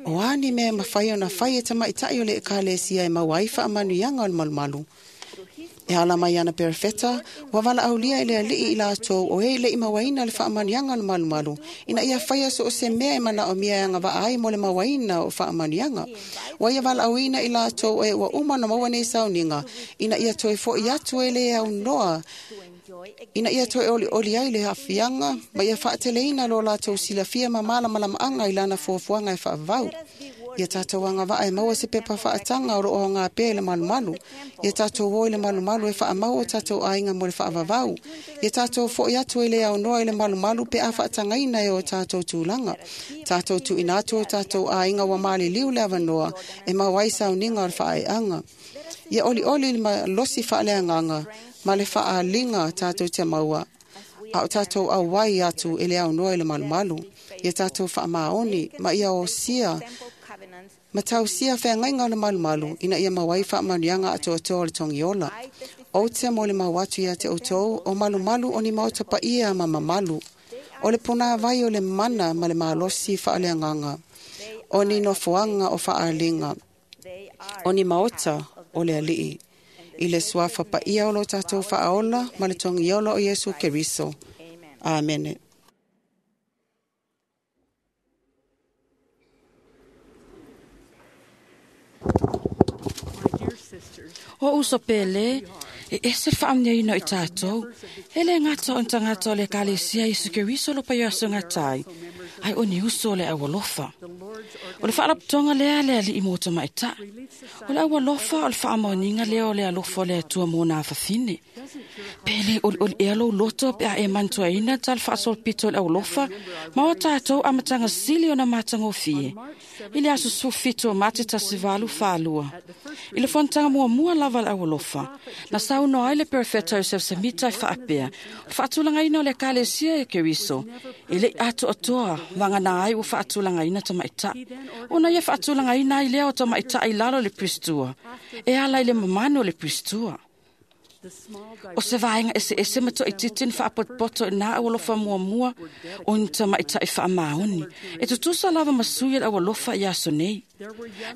O a ni mea e mafai ona fai e tamaitai o le ekalesia e maua ai faamanuiaga o le malumalu. E ala mai ana perefeta, ua valaaulia e le alii i latou o e le'i mauaina le faamanuiaga o le malumalu, ina ia faia so o se mea e manaomia e agavaa ai mo le mauaina o faamanuiaga. Ua ia valaauina i latou o e ua uma ona maua nei sauniga, ina ia toe fo'i atu e le aunoa, ina ia toe olioli ai le aafiaga ma ia faateleina lo latou silafia ma malamalamaaga i lana fuafuaga e faavavau. Ia tatou agavaa e maua se pepa faataga o loo aoga pea i le malumalu. Ia tatou o i le malumalu e faamau o tatou aiga mo le faavavau. Ia tatou fo'i atu e le aunoa i le malumalu pe a faatagaina e o tatou tulaga. Tatou tuuina atu o tatou aiga ua maliliu le avanoa e maua ai sauniga o le faaeaga. Ia olioli le malosi faaleagaga ma le faaliga tatou te maua, a o tatou auai atu e le aunoa i le malumalu. Ia tatou faamaoni ma ia osia ma tausia feagaiga o le malumalu ina ia maua ai faamanuiaga atoatoa o le togiola. Ou te mo le mau atu ia te outou o malumalu o ni maota paia ma mamalu. O le punāvai o le mana ma le malosi faaleagaga. O ni nofoaga o faaliga. O ni maota o le alii. I le suafa paia o lo tatou faaola ma le togiola o Iesu Keriso. Amene. O uso pele, e ese whaamneina i tātou, e le ngata o ntangata o le ekalesia Iesu Keriso lo pai aso ngatai, ai o ni uso o le aualofa. O le whaalaputonga lea le ali i mōta maita. O le aualofa o le whaamaoninga lea o le alofa o le atua mōna awhawhine. Pele oli oli ea lou loto pe a e mantuaina ta le whaasolopito o le aualofa, ma o tātou amatanga sili o na mātangofie. I le aso sufito o mate tasivalu whaalua. I le fontanga mua mua lava le aualofa. Na saunoa ai le perefeta Joseph Smith ai whaapea. O le whaatulangaina o le ekalesia e Keriso. E le ato atoa wangana ai o whaatulangaina tamaita. Ona ia whaatulangaina ai lea o tamaita i lalo le pristua. E ala i le mamano le pristua. O se vaenga ese ese mato i titin whaapotpoto i nā aualofa mua mua o ni tamaita i whaamaoni. E tutusa lava masui le aualofa i aso nei.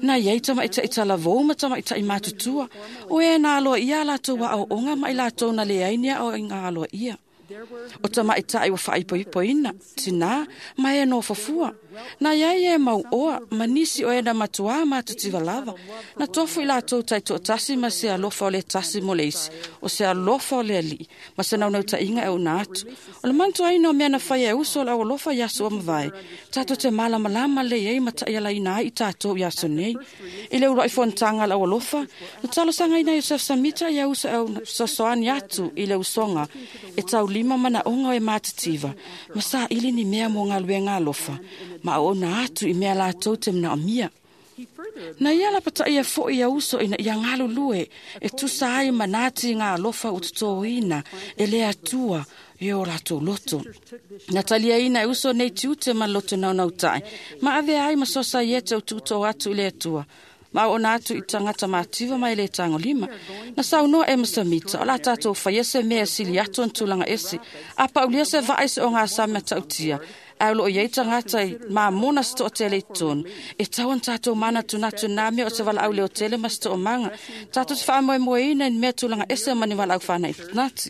Na iai tamaita i talavou ma tamaita i matutua. O e nā aloa ia latou wa au onga ma i latou na leai nia o i ngā aloa ia. O tamaita i wa whaipoipoina, tina, ma e no fafua. Na iai e mau oa, ma nisi o e na matua matutiwa lava. Na tofu i latou tai toatasi ma se alofa o le tasi mo le isi, o se alofa o le alii, ma se naunauta inga e una atu. O le mantuaina o mea na whai e uso o le aualofa i aso o mavae. Tātou te malamalama le iai ma ta'ialaina ai i tātou i aso nei. I le uluai fontanga le aualofa, na talosangaina Joseph Smith ia uso e sosoani atu i le usonga, e taulima mana onga e mātitiva, ma sa ili ni mea mo ngā alofa, ma o na atu i mea lātou te mna o mia. Na ia la pata ia fo ia uso ina ia ngalu lue, e tusa ai manati ngā alofa ututoina, e le atua e o lātou loto. Na talia ina e uso nei tiute ma loto naunautai, ma ave ai ma sosa i e te ututo atu i le atua. Ma o na atu i tangata mātiva mai le tango lima. Na saunoa e masamita, o la tātou whaia se mea sili atu an tūlanga ese. A paulia se vae se o ngā samea tautia. Ai lo iei tangata i mā mona sto o tele i tonu. E tau an tātou mana tunatu nā mea o te wala au le o tele ma sto o manga. Tātou te whaamoe moeina i mea tūlanga ese mani wala au whana i nati.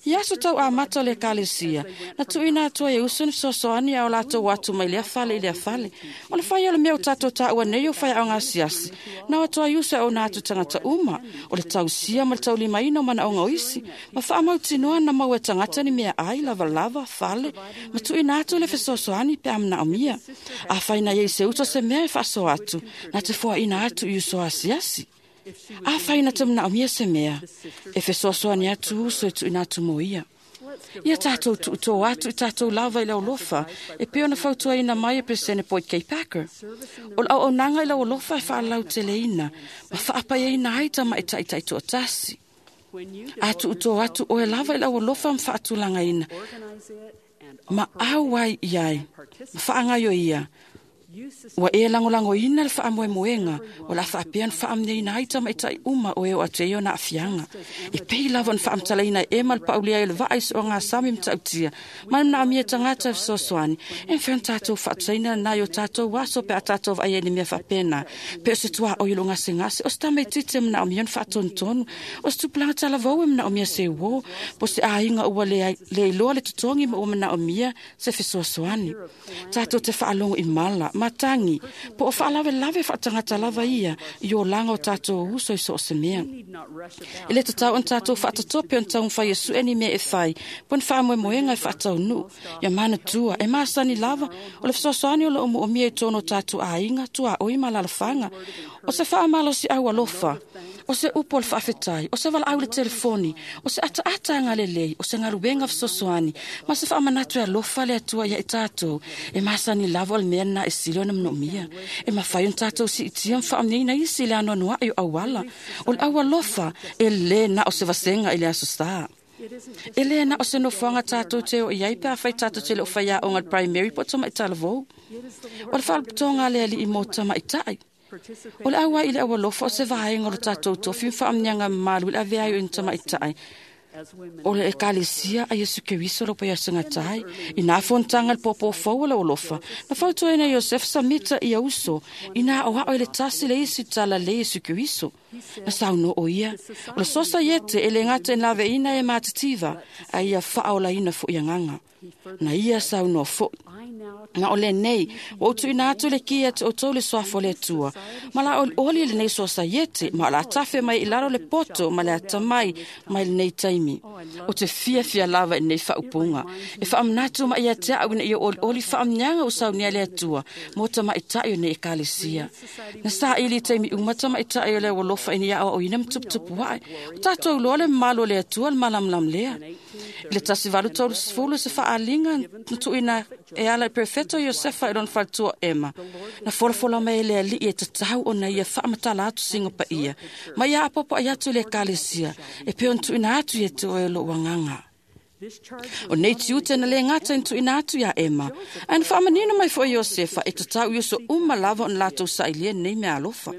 I aso tau a mata o le ekalesia. Na tuina atua e usu ni sosoani au lātou atu mai lea fale i lea fale. O le whai o le mea o tātou tāua nei o whai au ngā siasi. Na atua i usu au nā atu tangata uma. O le tausia ma le taulimaina o mana o ngā oisi. Ma whaamautinoa na mau e tangata ni mea ai, lava lava, fale. Ma tuina atu le fesoasoani pe amna o mia. A whaina iei se uto se mea e whaaso atu. Na te fua ina atu i uso asiasi. A whaina te mna o mia se mea, e fesoasoani atu uso e tuina atu mo ia. Ia tātou tuutō atu i tātou lava i lau lofa, e peo na fautuaina mai e Presene Boyd K. Packer. O lau au nanga i lau lofa e whaalau te leina, ma whaapaia ai tama e taitai tuatasi. A tuutō atu oe lava i lau lofa ma whaatulanga ina. Ma au ai iai, ma whaangaio ia. Ua e langolango ina le whaamoemoenga, o la whaapean whaamneina ai tamaitai uma o e o ateo na afianga. E pei lava na whaamtalaina e ma le paulia e le vaai so ngā sami mtautia, ma na amia tangata fesoasoani, e mwhian tātou whaataina nai o tātou waso pe a tātou vai e ni mea whapena, pe o se tua o ilo ngase ngase, o se tamei tite mna o mia whaatontonu, o se tupulanga talavau e mna o mia se wo, po se āinga ua le, le iloa le tutongi ma ua mna o mia se fesoasoani. Tātou te whaalongo i mala, matangi, po o whaalawe lawe whaatangata lava ia, i o langa o tātou uso i so o se mea. E le tatau on tātou whaatatope on taung whai e sueni mea e whai, pon whaamoemoenga e whaatau nu, ia mana tua, e maasani lava, o le fesoasoani o lo o mia i tono tātou āinga, tua oi malalafanga, o se whaamalo si au alofa, o se upo le whaafetai, o se wala au le telefoni, o se ata ata ngā lelei, o se ngaruenga fesoasoani, ma se whaamanatu e alofa le atua ia i tātou, e maasani lava o le mea na e silo na mnomia, e mawhai on tātou si itia mwhaamneina isi le anoanoa e o awala, o le awalofa e le na o se vasenga i le aso sā. E le na o se nofoanga tātou te o iai pe a whai tātou te le o whaia o ngā primary po tama i talavou. O le whaalapotoga le ali i mō tama i tai. O le aua i le awalofa o se vaenga o le tātou tofi mwhaamneanga malu i le avea i o tama i tai. O le ekalesia a Yesu Keriso lo paia sangatai, i nā fontanga le popo fau le olofa. Na fautuaina Iosef Samita i auso, i nā o hao i le tasi le isi tala le Yesu Keriso. Na sauno o ia, o le sosa iete e le ngata en lave ina e mātativa, a ia whaola ina fo ia nganga. Na ia sauno fo. Na o le nei, o utu ina atu le kia te o tau le soafo le atua. Ma la oli le nei sosa iete, ma la tafe mai i laro le poto, ma le atamai mai le nei taimi. O te fia fia lava i nei whaupunga. E whaamnatu ma ia te au ina ia oli oli whaamnyanga o saunia le atua, mō tamaitai o nei ekalesia. Na saa ili taimi uma tamaitai o le walofa ina ia o ina mtuputupu wae. O tātou loa le malo le atua le malamlam lea. I le tasi valu tolu sefulu se whaalinga na tuina e ala i perfecto Iosefa i lona faletua Ema. Na folafola mai le alii e tatau ona ia whaamatala atu singa pa ia. Ma ia apopo ai atu le ekalesia. E peo tuina atu i e te oe lo wanganga. O nei tiute na le ngata in tuina atu ia Ema. Aina whaamanino mai fo Iosefa e tatau ioso uma lava on lātou sailia nei mea alofa.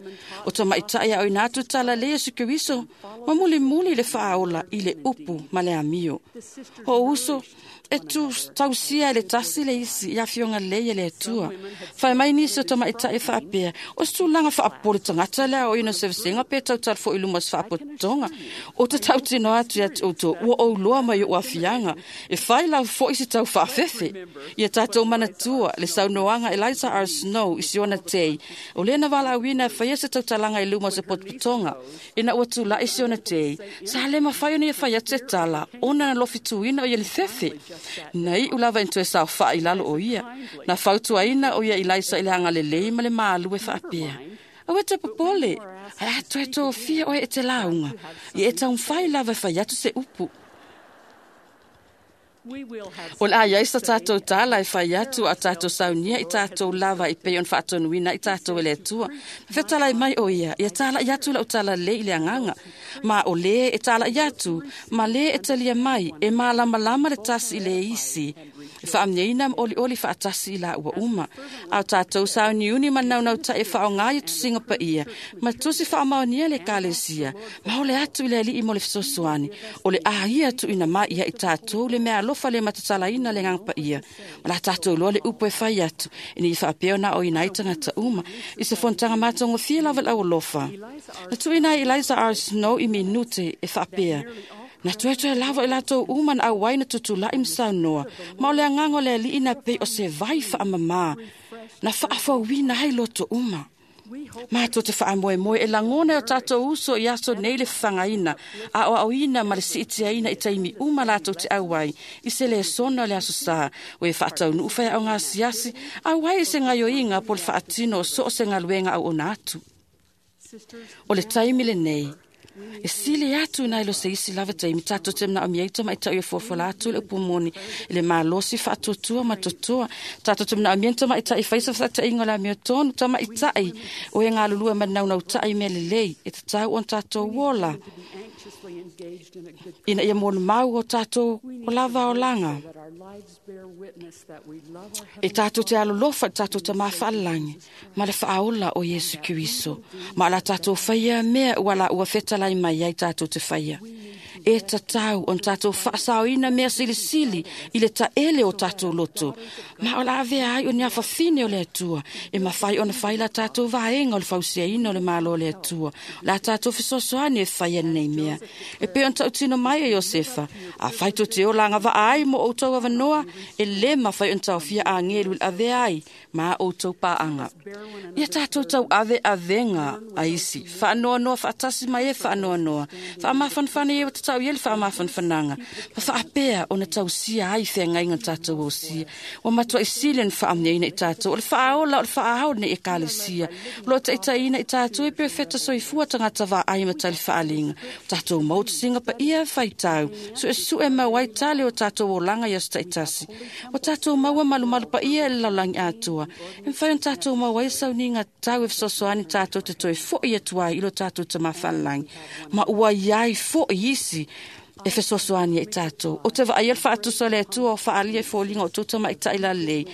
O tamaitai au ina atu tala le Yesu Keriso, ma muli muli le whaaola i le upu ma le amio. O uso, e tu tausia le tasi le isi i awhionga le le atua. Whai mai nisi o tamaitai whaapea, o se tūlanga whaapole tangata lea o ina sevesenga pe tautal fo iluma se whaapotonga. O te tautino atu ia te outou, ua ouloa mai o afianga, e whai lau fo isi tau whaafefe. Ia tātou manatua, le saunoanga Eliza R. Snow i siona tei, o lena wala awina whaia se tautalanga i luma se potopotonga, ina ua tūla i siona tei, sa le mawhai o ni e whaia te tala, ona na lofituina o ia le fefe. Na i ulava into e sao wha i lalo o ia. Na fautuaina o ia Eliza i le hanga lelei ma le maalu e whaapea. Awe te popole, ai atu e tō fia oe e te launga. I e taung whai lava whai atu se upu. O la ia isa tātou tāla e whai atu a tātou saunia i tātou lava i pei on whaatonuina i tātou e le atua. Whetala i mai o ia, ia tāla i atu la o tāla le i le anganga. Ma o le e tāla i atu, ma le e talia mai, e mālama lama le tasi i le isi. E whaamneina ma oli oli whaatasi i la ua uma. Au tātou sauniuni ma naunau ta e whaongai e tusinga pa ia, ma tusi whaamaonia le kalesia. Ma ole atu i le alii mo le fesoasoani, o le ahia atu ina mai ia i tātou le mea alofa le matatalaina le nganga pa ia. Ma la tātou loa le upu e whai atu, e ni whaapeo na o ina i tangata uma, i se fontanga mātongo fia lava lau alofa. Na tuina Eliza R. Snow i minute e whaapea. Na tuetoe lava i lātou uma na auai na tutulai msaunoa, ma o le angango le alii na pei o se vai whaamamā, na whaafauina hai loto uma. Mātou te whaamoemoe e langona o tātou uso i aso nei le whangaina, a o auina ma le siitiaina i taimi uma lātou te auai, i se le sona le aso sā, o e whaatau nuuwhai au ngā siasi, auai i se ngaioinga po le whaatino o so o se ngaluenga au ona atu. O le taimi le nei, E sili atu nai lo se isi lava taimi tātou te mna o miai tamaitaʻi e fuafuala atu le upu moni i le malosi faatuatua ma totoa. Tātou te mna o miai tamaitaʻi fai sa faataʻiga o le amiotonu tamaitaʻi o e galulue ma naunautaʻi mea lelei e tatau ona tatou ola ina ia molimau o tatou o lava olaga. E tātou te alolofa i tatou tamā faalagi ma le faaola o Iesu Keriso. Ma o la tatou faia mea ua la ua fetalai mai ai tatou te faia. E tatau ona tatou faasaoina mea silisili i le taele o tatou loto. Ma o la avea ai o ni afafine o le Atua. E mafai ona fai la tatou vaega o le fausiaina o le malo o le Atua. La tatou fesoasoani e faia nei mea. E pei ona tautino mai e Iosefa. A fai to te ola agavaa ai mo outou avanoa, e lē mafai ona taofia agelu i le avea ai ma outou paaga. Ia tatou tauave avega a isi. Faanoanoa faatasi mai e faanoanoa. Faamafanafana ia tatau ia le faamafanafanaga. Ma faapea ona tausia ai feagaiga tatou ausia. Ua matuaʻi sili ona faamanuiaina i tatou. O le faaola o le faaao lenei ekalesia. O loo taitaiina i tatou e perofeta soifua tagata vaai ma tali faaliga. O tatou mau tasiga paia faitau. Suesue mau ai tale o tatou olaga i aso taitasi. O tatou maua malumalu paia e le lalolagi atoa. E mafai ona tatou maua ai sauniga tau e fesoasoani tatou te toe foʻi atu ai i lo tatou tamā faalelagi. Ma ua iai foʻi isi e fesoasoani ai tatou. O te vaaia le faatusa o le Atua o faaalia i foliga o outou tamaitaʻi lalelei.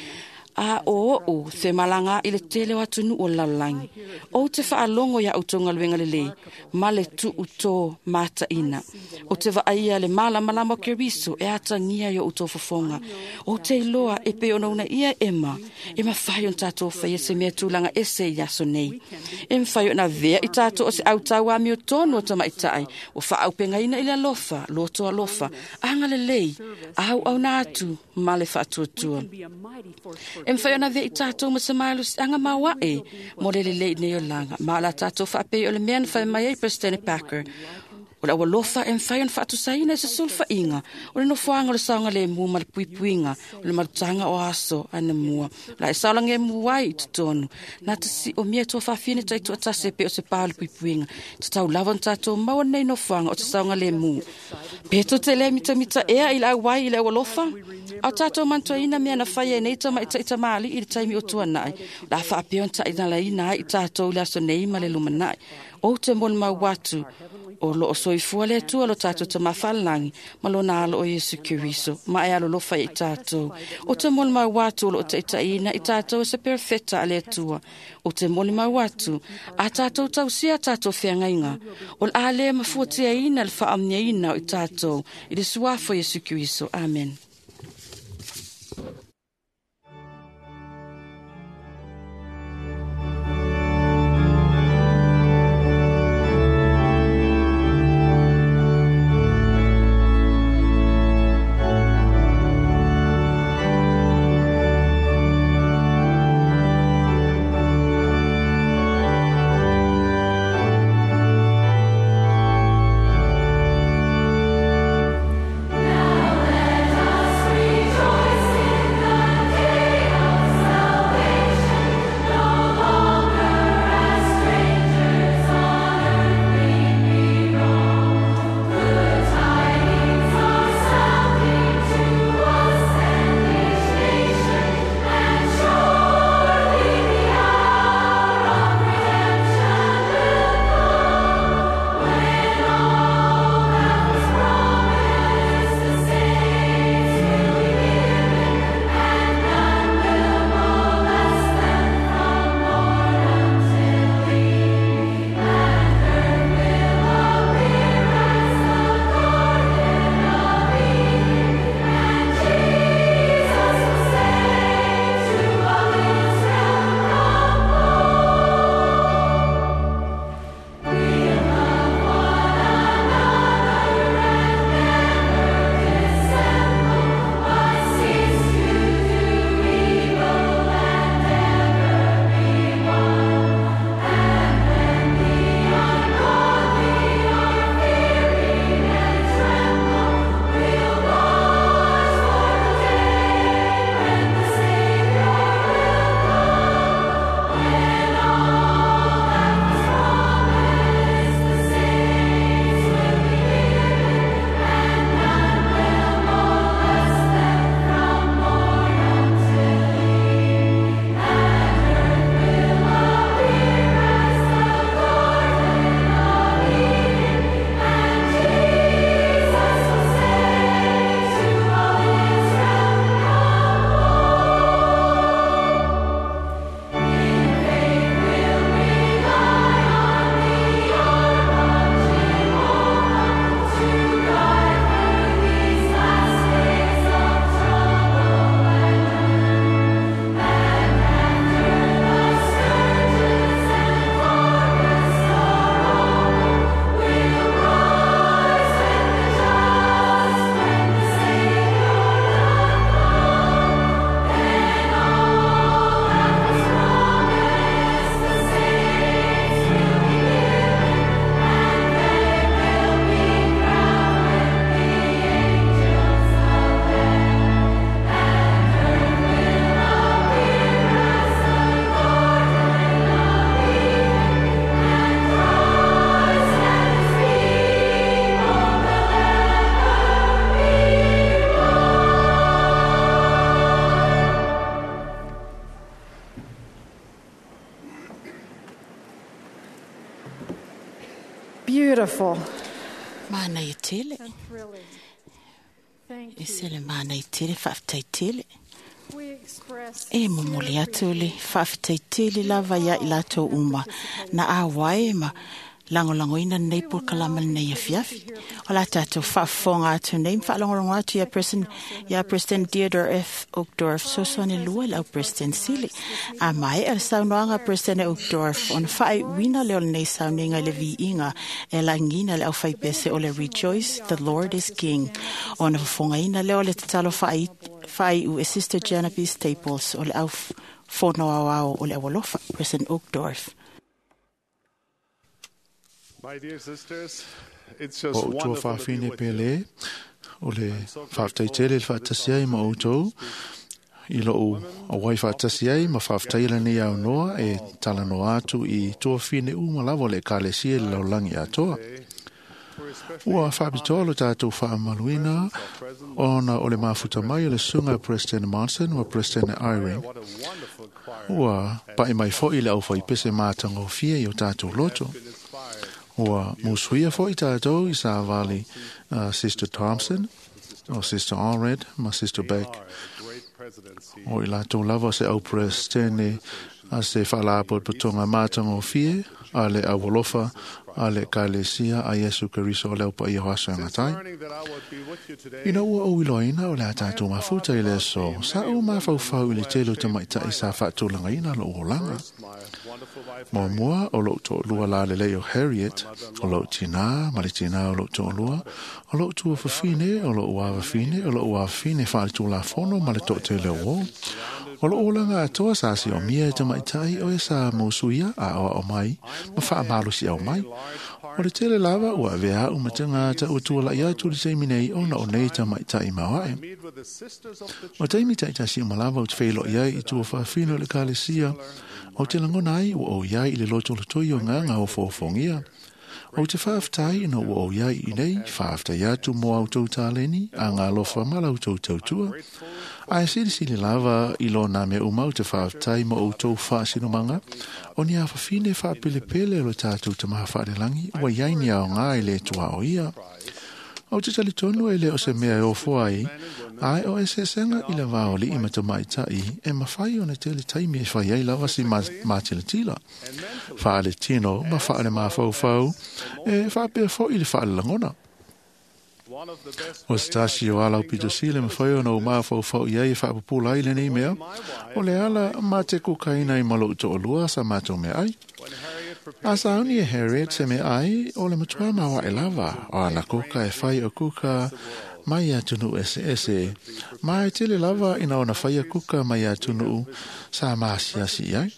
A o oʻu femalaga i le tele o atunuu o le lalolagi. Ou te faalogo iā outou galuega lelei ma le tuu tō mataʻina. O te vaaia le malamalama o Keriso e atagia i o outou fofoga. Ou te iloa e pei ona uunaia Ema, e mafai ona tatou faia se mea tulaga ese i aso nei. E mafai ona avea i tatou o se autau amiotonu o tamaitaʻi ua faaaupegaina i le alofa, loto alofa, agalelei, auauna atu ma le faatuatua. E mafai ona avea i tatou ma se malosiaga maoaʻe mo le lelei nei olaga. Ma o la tatou faapei o le mea na fai mai ai President Packer. O le aualofa e mafai ona faatusaina i se sulufaiga o le nofoaga o le saogalemu ma le puipuiga o le malutaga o aso anamua. O la e saolagemu ai i totonu. Na te siomia tuafafine taitoatasi e pei o se pā o le puipuiga. Tatau lava ona tatou maua lenei nofoaga o te saogalemu. Pe tou te le mitamita ea i le auai i le aualofa? A o tatou manatuaina mea na faia e nei tamaitaʻi tamalii i le taimi o tuanaʻi. O le a faapea ona taʻinalaina ai i tatou i le aso nei ma le lumanaʻi. Ou te molimau atu o loo soifua le Atua lo tatou tamā faalelagi ma lona alo o Iesu Keriso ma e alolofa i tatou. O te molimau atu o loo taitaiina i tatou e se perofeta a le Atua. O te molimau atu a tatou tausia tatou feagaiga. O le a lē mafuatiaina le faamanuiaina o i tatou i le suafa o Iesu Keriso. Amen. Now let us Beautiful Mana i tele. and thrilling. Thank E you. se le mana i tele whaafetai tele. We express E momoli atu le whaafetai tele lava ia i latou uma. Na a wae ma langolangoina nei polokalama nei afiafi. O la tātou whaafonga atu nei, whaalongolongo atu ia President, ia President Theodore F. Uchtdorf, sosone lua lau President Sili. A mai e saunoanga President Uchtdorf, on whae wina leo nei saunenga le viinga, e langina le au whaipese o le Rejoice, the Lord is King. Ona whafongaina leo le tatalo whae, whae u e Sister Genevieve Staples o le au whono au au o le awalofa, President Uchtdorf. My dear sisters, it's just O tua wonderful to be whawhine with you. pele, o le whaftai tele le whaatasi ai ma outou, i lou awai whaatasi ai ma whaftai le nei au noa e tala noa atu i tua whine uma lava o le kalesia le laulangi atoa. We're especially Ua whaapitoa lo tātou whaamaluina ona o le mafuta mai o le sunga President Monson wa President Irene. what a wonderful choir Ua pae mai foi le au whaipese mātanga o fia i o tātou loto. been inspired. Ua musuia foi tātou i sa vali uh, Sister Thompson, o Sister Allred, ma Sister Beck. Are a great presidency. O i lātou lava se au presidente a se whaalapotopotonga mātanga o fie, a le awalofa, a le kalesia, a Yesu Keriso o leo pa i o aso e ngatai. Learning that I would be with you today, Ina ua o iloina o le a tātou mafuta i le aso, sa o mawhauwhau i le tele o te maitai sa whaatulanga ina lo o langa. my wonderful wife, Mo mua o lou to'olua lalelei o Harriet, o lou tinā ma le tinā o lou to'olua, o lou tuafafine, o lou uavafine, o lou uavafine faaletulafono ma le to'atele o ō. O lou olaga atoa sa si o mia e tamaitai o e sa musuia a oa o mai, ma faamalosi au mai. O le tele lava ua avea au matagata ua tuala'i atu le taimi nei ona o nei tamaitai maoae. meet with the sisters of the O taimi taitasi o malava o te wheilo'i ai i tua whawhino o le kalesia, o te langona ai ua o iai i le lotolotoi o ngā ngā o fōfongia. O te whaaftai ina ua o iai i nei, whaaftai atu mō au tau tāleni, a ngā lofa mala au tau tautua. Ai silisili lava i lo nā mea umau te whaaftai mō au tau whaasinomanga, o ni a whawhine whaapelepele o le tātou te maha whaalelangi, ua iai ni ao ngā i le tua o ia. O te tali tonu e le o se mea e ofo ai, ai o e sesenga i le wā o li i matamaitai, e mawhai o ne tele taimi e whai ai lava si ma, ma tila. Whaale tino, ma whaale mawhauwhau, e whaapea fo i le whaale langona. one of the best O se tasi o ala o pito sile mawhai o na o mawhauwhau i ai e whaapupula ai le nei mea, o le ala ma te kukaina i malo uto o lua sa mātou mea ai. when Harriet prepared A sa auni e Harriet se me ai, o le matua mawa e lava, o ana kuka e whai o kuka mai a tunu ese ese. Mai tele lava ina ona whai a kuka mai a tunu sa maasiasi ai.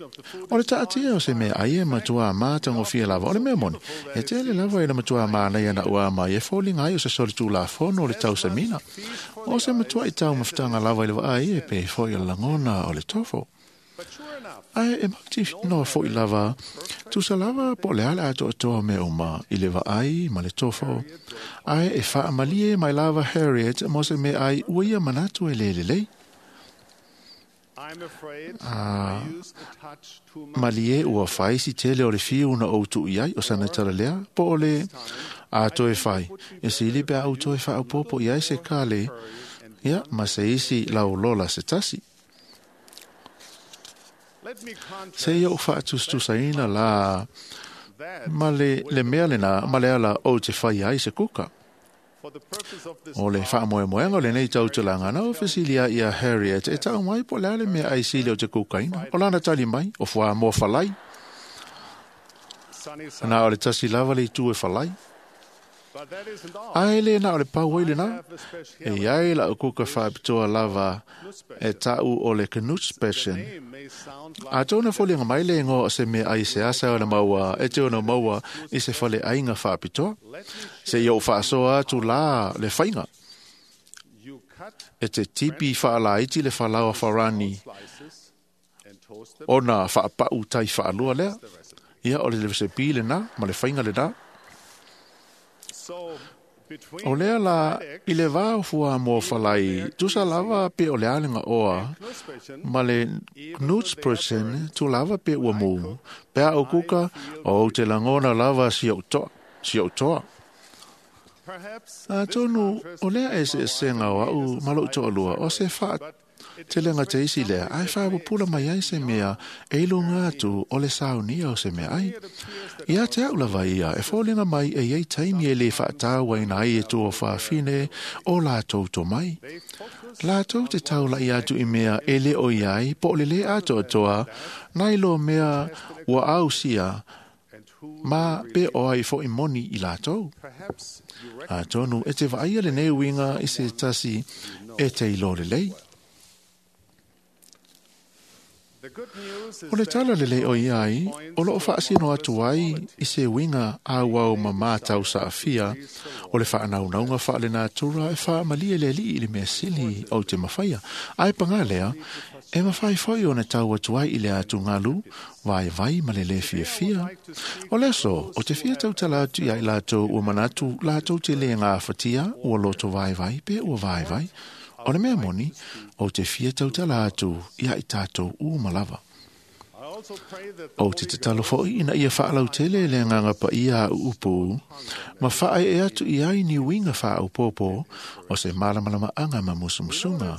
O le taatia o se mea ai e matua mātango fia lava o le mea moni. E tele lava ina matua mānei ana ua mai e fōlinga ai o se soli tū la fono o le tausamina. O se matua i tau mawhtanga lava i le waai e pe foi o le langona o le tofo. But sure enough, Ai e mauti no foi lava, tusa lava po le ala ato atoa me uma i le vaai ma le tofo. Ai e whaamalie mai lava Harriet mo se me ai ua ia manatu e lele lei. I'm afraid Ah. I used a touch too much. Malie ua whai si tele o le fiu na o tu iai o sana tala lea, po o le a toe whai. E sili pe au toe wha au popo iai se kale, ia ma se isi lau lola se tasi. Let me contrast Se ia o whaatustusaina la that ma le, le mea lena, ma le ala o te whai ai se kuka. for the purpose of this O le talk, whaamoemoenga o le nei tautulanga na o whesilia ia Harriet e tau mai po le ale mea ai sili o te kukaina. O lana tali mai, o fua mō whalai. sunny side. Na o le tasi lava le itu e whalai. But that isn't all. Ai le na o le pau ai le na. Have a special E iai la o kuka whaapitoa lava e tau o le Knutspecial. name may sound like A tōna folianga mai le ingoa o se mea ai se asa o le maua, e te ono maua i se whale ainga whaapitoa. let me Se i o whaasoa atu la le whainga. you cut E te tipi whaalaiti le whalawa wharani slices and toast them. ona whaapau tai whaalua lea. Ia o le resepi le nā, ma le whainga le nā. So between O lea la, i le vā o fua mō whalai, tusa lava pe o le alenga oa, Knutspecial, ma le Knutspersen tu lava pe ua mū. Pea o kuka, o te langona lava si au toa. Si ou toa. Atonu, o lea e se esenga o au ma lou toalua, o se faa te lenga te isi lea, ai whaapupula mai ai se mea, e lunga atu o le saunia o se mea ai. Ia te au lava ia, e fōlinga mai e iei taimi e le whaataua ina ai e tua whaafine o lātou tō mai. Lātou te taula i atu i mea e le o iai, po le le atoa toa, nai lo mea ua au sia, ma pe o ai fo i moni i lātou. Atonu, e te vaia le nei winga i se tasi e te ilo le lei. O le tala le lei o iai, o loo whaasino atu ai i se winga a wau ma mātau sa awhia, o le whaanaungaunga wha le nātura e wha malie le li i le mea sili o te mawhaia. Ai pangā lea, e mawhai whai o na tau atu ai i le atu ngalu, vai vai ma le le fia fia. O leso, o te fia tau tala atu i ai lātou ua manatu, lātou te le ngā whatia, ua loto vai vai, pe ua vai vai. O le mea moni, o te fia tautala atu i ai tātou u malava. O te tatalo foi ina ia whaalautele le nganga pa ia a uupu, ma whae e atu i ai ni winga wha au pōpō o se malamalama anga ma musumusunga.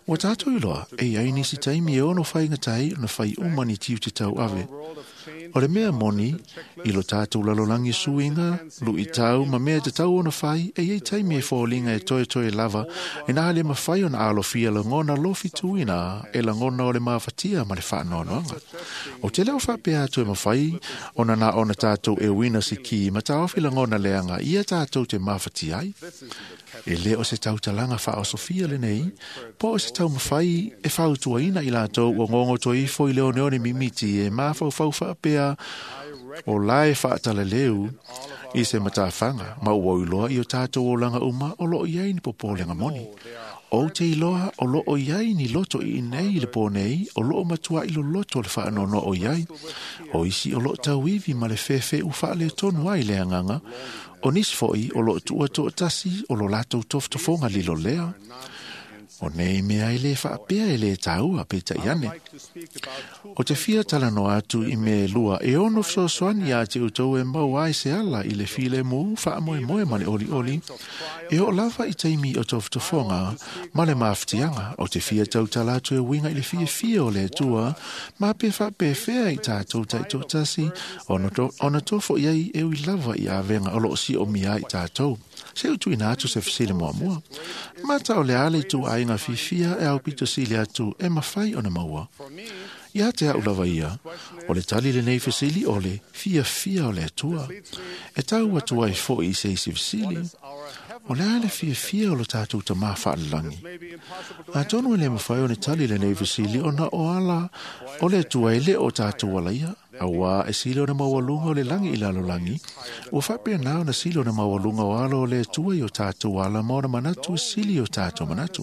Wa tātou iloa, e ai nisi taimi e ono whainga tai ona whai umani tiu te tau ave. O le mea moni, i lo tātou lalolangi suinga, lu i tau, ma mea te tau ona whai, e ei taimi e fōlinga e toe toe lava, e nā le mawhai ona alofia langona lofi tuina, e langona o le mawhatia ma le whaanoanoanga. O te leo whapea atu e mawhai, ona nā ona tātou e wina si ki, ma tāofi langona leanga, ia tātou te mawhati ai. E le o se tautalanga wha o Sofia le nei, po o se tau mawhai e whautuaina i lātou o ngongo toi ifo i leo neone mimiti e mawhau whau whaapea o lae whaataleleu i se matawhanga, ma ua iloa i o tātou o langa uma o loo iai ni popolenga moni. O te iloa o loo iai ni loto i nei le pō nei, o loo matua i lo loto le whaanono o iai. O isi o loo tauivi ma le whewhe u whaale tonu ai le anganga, o nis foi o loo tua toa tasi o lo lātou toftofonga lilo lea. O nei mea i le whaapea e le tāua pe ta iane. O te fia talanoa atu i me lua e ono fesoasoani ia te utou e mau ai se ala i le file mu whaamoe moe ma le oli oli. E o lava i taimi o tofotofoga ma le mawhitianga o te fia tautala atu e winga i le fia fia o le atua ma pe whaapewhea i tātou taitotasi ona tofo iai e ui lava i awenga o loo si o mia i tātou. Se utu ina atu se fisile mua mua. Mata o le ale tu ainga fifia e au pito sili atu e mawhai ona maua. Ia te au lava ia, o le tali le nei fisili o le fia fia o le atua. E tau atua i fo i se isi fisili. O le ale fia fia o lo tātou ta mā whaalalangi. A tonu e le mawhai o le tali le nei fisili o na o ala o le atua e le o tātou ala ia. Aua e sili o na maualunga o le langi i lalo langi, ua whapea nā o na sili o na maualunga o alo o le atua i o tātou ala ma ona manatu e sili o tātou manatu.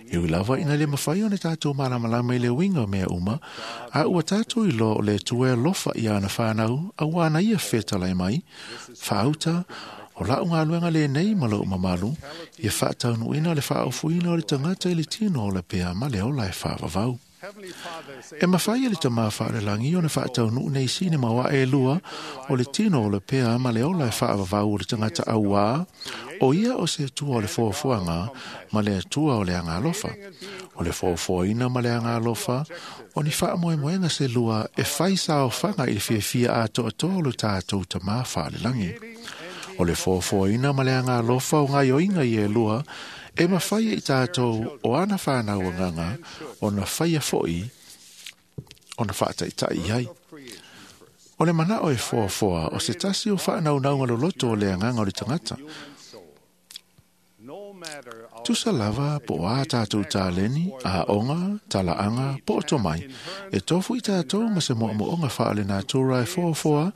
E ui lava ina le mawhai o na tātou malamalama i le winga o mea uma, a ua tātou i lo o le atua e alofa i ana whānau, a ua ana ia whetalai mai, whaauta, o lau ngā luenga le nei ma lau mamalu, ia whaataunuina le whaofuina o le tangata i le tino o le pea ma le ola e whaavavau. E mawhai le tamā whaalelangi o na whaataunu nei sine mawa e lua o le tino o le pea ma le ola e whaavavau o le tangata auā o ia o se atua o le foafoanga ma le atua o le anga alofa. O le foafoaina ma le anga alofa o ni whaamoemoenga se lua e whai saofanga i le fiafia atoa o le tātou tamā whaalelangi. O le foafoaina ma le anga alofa o ngā ioinga i e lua e mawhai i tātou o ana whānau nganga o na whaia foi o na whaataitai ai. O le mana o e foafoa o se tasi o whānau naunga loloto o le anganga o le tangata. Tusa lava po a tātou tāleni, a onga, talaanga, po o tomai. E tofu i tātou ma se moa moonga whaale nātura e foafoa,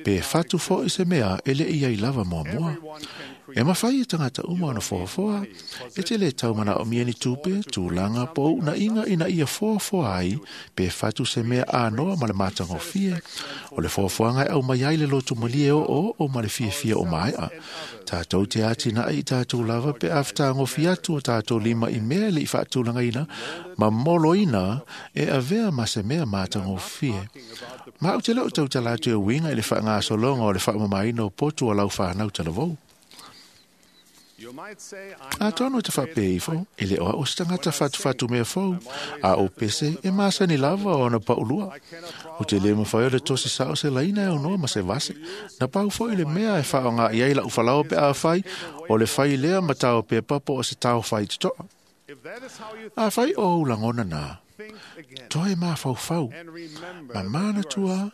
pe whatu fo i se mea e le i ai lava moa moa. E mawhai e tangata uma ona foafoa, e te le taumana o mieni tupe, tūlanga, po una inga ina ia foafoa ai, pe whatu se mea ānoa ma le mātangofie, o le foafoanga e au mai ai le lotu malie o o o ma le fiafia o maea. Tātou te ātina i tātou lava pe awhtāngofie tofi atu o tātou lima i mea le i whaatūlangaina, ma moloina e avea ma se mea mātangofie. Ma au te lau tau talatu e winga i le whaangasologa o le whaamamaina o potu o lau whanau talavou. A tono te whape ifo, e le oa o se tangata whatu mea fou, a o pese e masani lava o na paulua. O te le mawhai o le tosi sao se laina e ono ma se vase. Na pau fo i le mea e whao ngā iai la ufalao pe a whai, o le whai lea matao pe papo o se tau whai te toa. A whai o ulangona nā. Toe mā whau. Ma mana tua,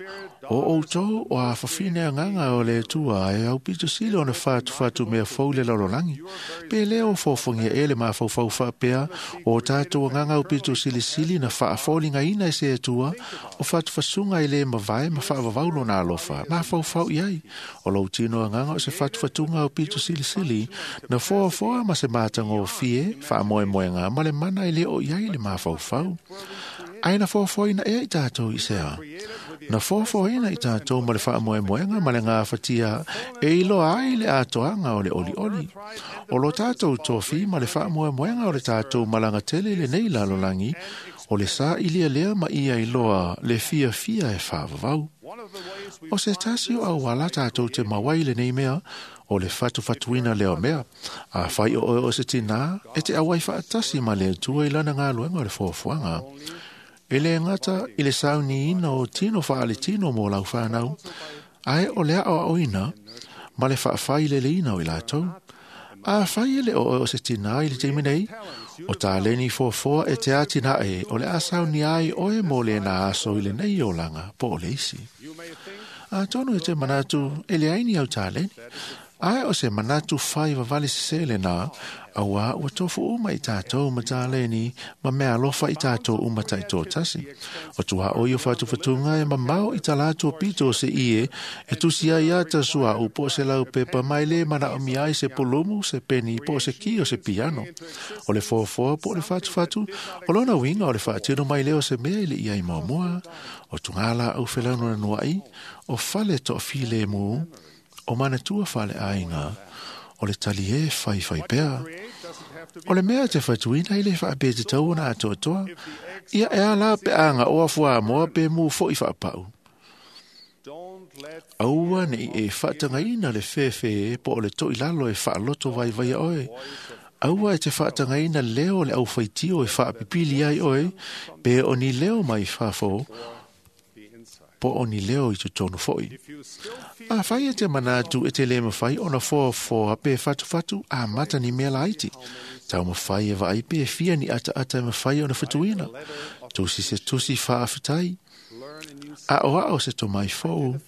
o outou o a whawhine anganga o le tua e au pito sile o na whatu whatu mea fau le lalolagi. Pe leo fōfongia e le mā whau whau whapea o tātou anganga au pito sili sili na whaafōlinga ina e se tua o whatu whasunga i le mawai ma whaavavaulo nā alofa. Mā whau whau iai. O lau tino anganga o se whatu whatunga au pito sili sili na foa foa ma se mātanga o fie whaamoe moenga ma le mana i le o iai le mā whau whau. Ai na fōfōina ea i tātou i sea. Na fōfōina i tātou ma le whaamoemoenga ma le ngā whatia e iloa ai le atoanga o le oli oli. O lo tātou tōwhi ma le whaamoemoenga o le tātou malanga tele le nei lalolangi o le sa ilia lea ma ia iloa le fia fia e whaavavau. O se tasi o au ala tātou te mawai le nei mea o le whatu whatuina leo mea. A whai o o se tina e te awai whaatasi ma le tua i lana ngā luenga o le fōfuanga. E le ngata i le sauni ina o tino whaale tino mō lau whanau, ae o lea o aoina, ma le whaawhai le leina o i lātou. A whai ele o o se tina i le teimi nei, o tā leni fōfoa e te ātina e o le asauni ai oe mō le nā aso i le nei o langa po o le isi. A tono e te manatu e le aini au tā leni, ae o se manatu whai wawale sesele nā, aua ua tofu uma i tātou ma tā leni, ma mea alofa i tātou uma tai tō tasi. O tua o i o whatu whatunga e mamao i tā lātou pito se ie, e tusi ai ata sua u po se lau pepa mai le mana o miai se polumu, se peni, po se ki o se piano. O le fōfoa po le whatu whatu, o lona winga o le whaatino mai leo se mea i le ia i maumua, o tungala au whelano na nuai, o fale to file mu, o manatua fale ainga, o le tali e whai whai pea. O le mea te whatuina i le whaapea te tau ona atoatoa, ia e ala pe anga o afua moa pe mu fo i whaapau. Aua nei e whaatangaina le whewhe po o le toi lalo e whaaloto vai vai oe. Aua e te whaatangaina leo le au whaitio e whaapipili ai oe, pe o ni leo mai whafo, po o ni leo i totonu foi. A whai e te manatu e te le mawhai ona foa foa pe whatu whatu a mata ni mea laiti. Tau mawhai e vaai pe fia ni ata ata e mawhai ona whatuina. Tusi se tusi whaawhitai. A oa o se tomai fou,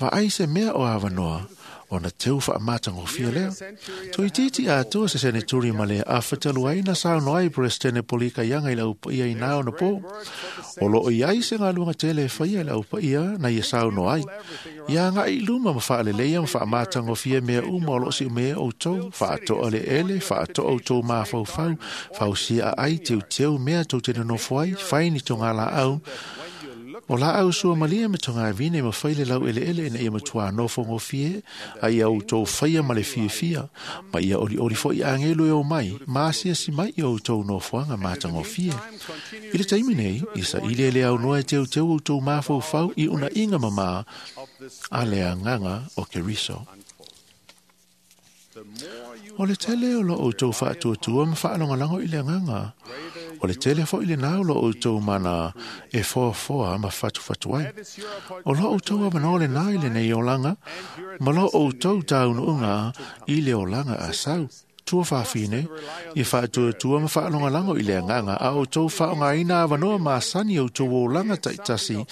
vaai se mea o awanoa, ona teu whaamatango fia lea. Toi titi atoa se sene turi ma le a whataluai na sao noai prestene polika ianga i lau paia i nao na pō. O lo i ai se ngā lunga tele whaia i lau paia na ia sao noai. Ia ngā i luma ma whaaleleia ma whaamatango fia mea uma o lo si mea o tau, whaatoa le ele, whaatoa o tau mā whau whau, whausia a ai teu teu mea tau tene nofoai, whai ni tō ngā la au. O la au sua malia me tonga vine ma whaile lau ele ele ina ia matua nofo ngofie, a ia o tau whaia ma le fia fia, ma ia oli oli fo i angelo e o mai, ma asia si mai i o tau nofoanga mata ngofie. I le taimi nei, i sa ile le au noa e teu teu o tau mawhau whau i una inga mama a le anganga o Keriso. O le tele o lo o tau whaatuatua ma whaalongalango i le anganga. O le tele fo i le nao lo o tau mana e foa foa ma whatu whatu ai. O lo o tau amano le nā i le nei olanga, ma lo o tau taunu unga i le olanga a sau. Tua whawhine, i whaatuatua ma whaalongalango i le anganga, a o tau whaongaina awanoa maasani o tau olanga taitasi,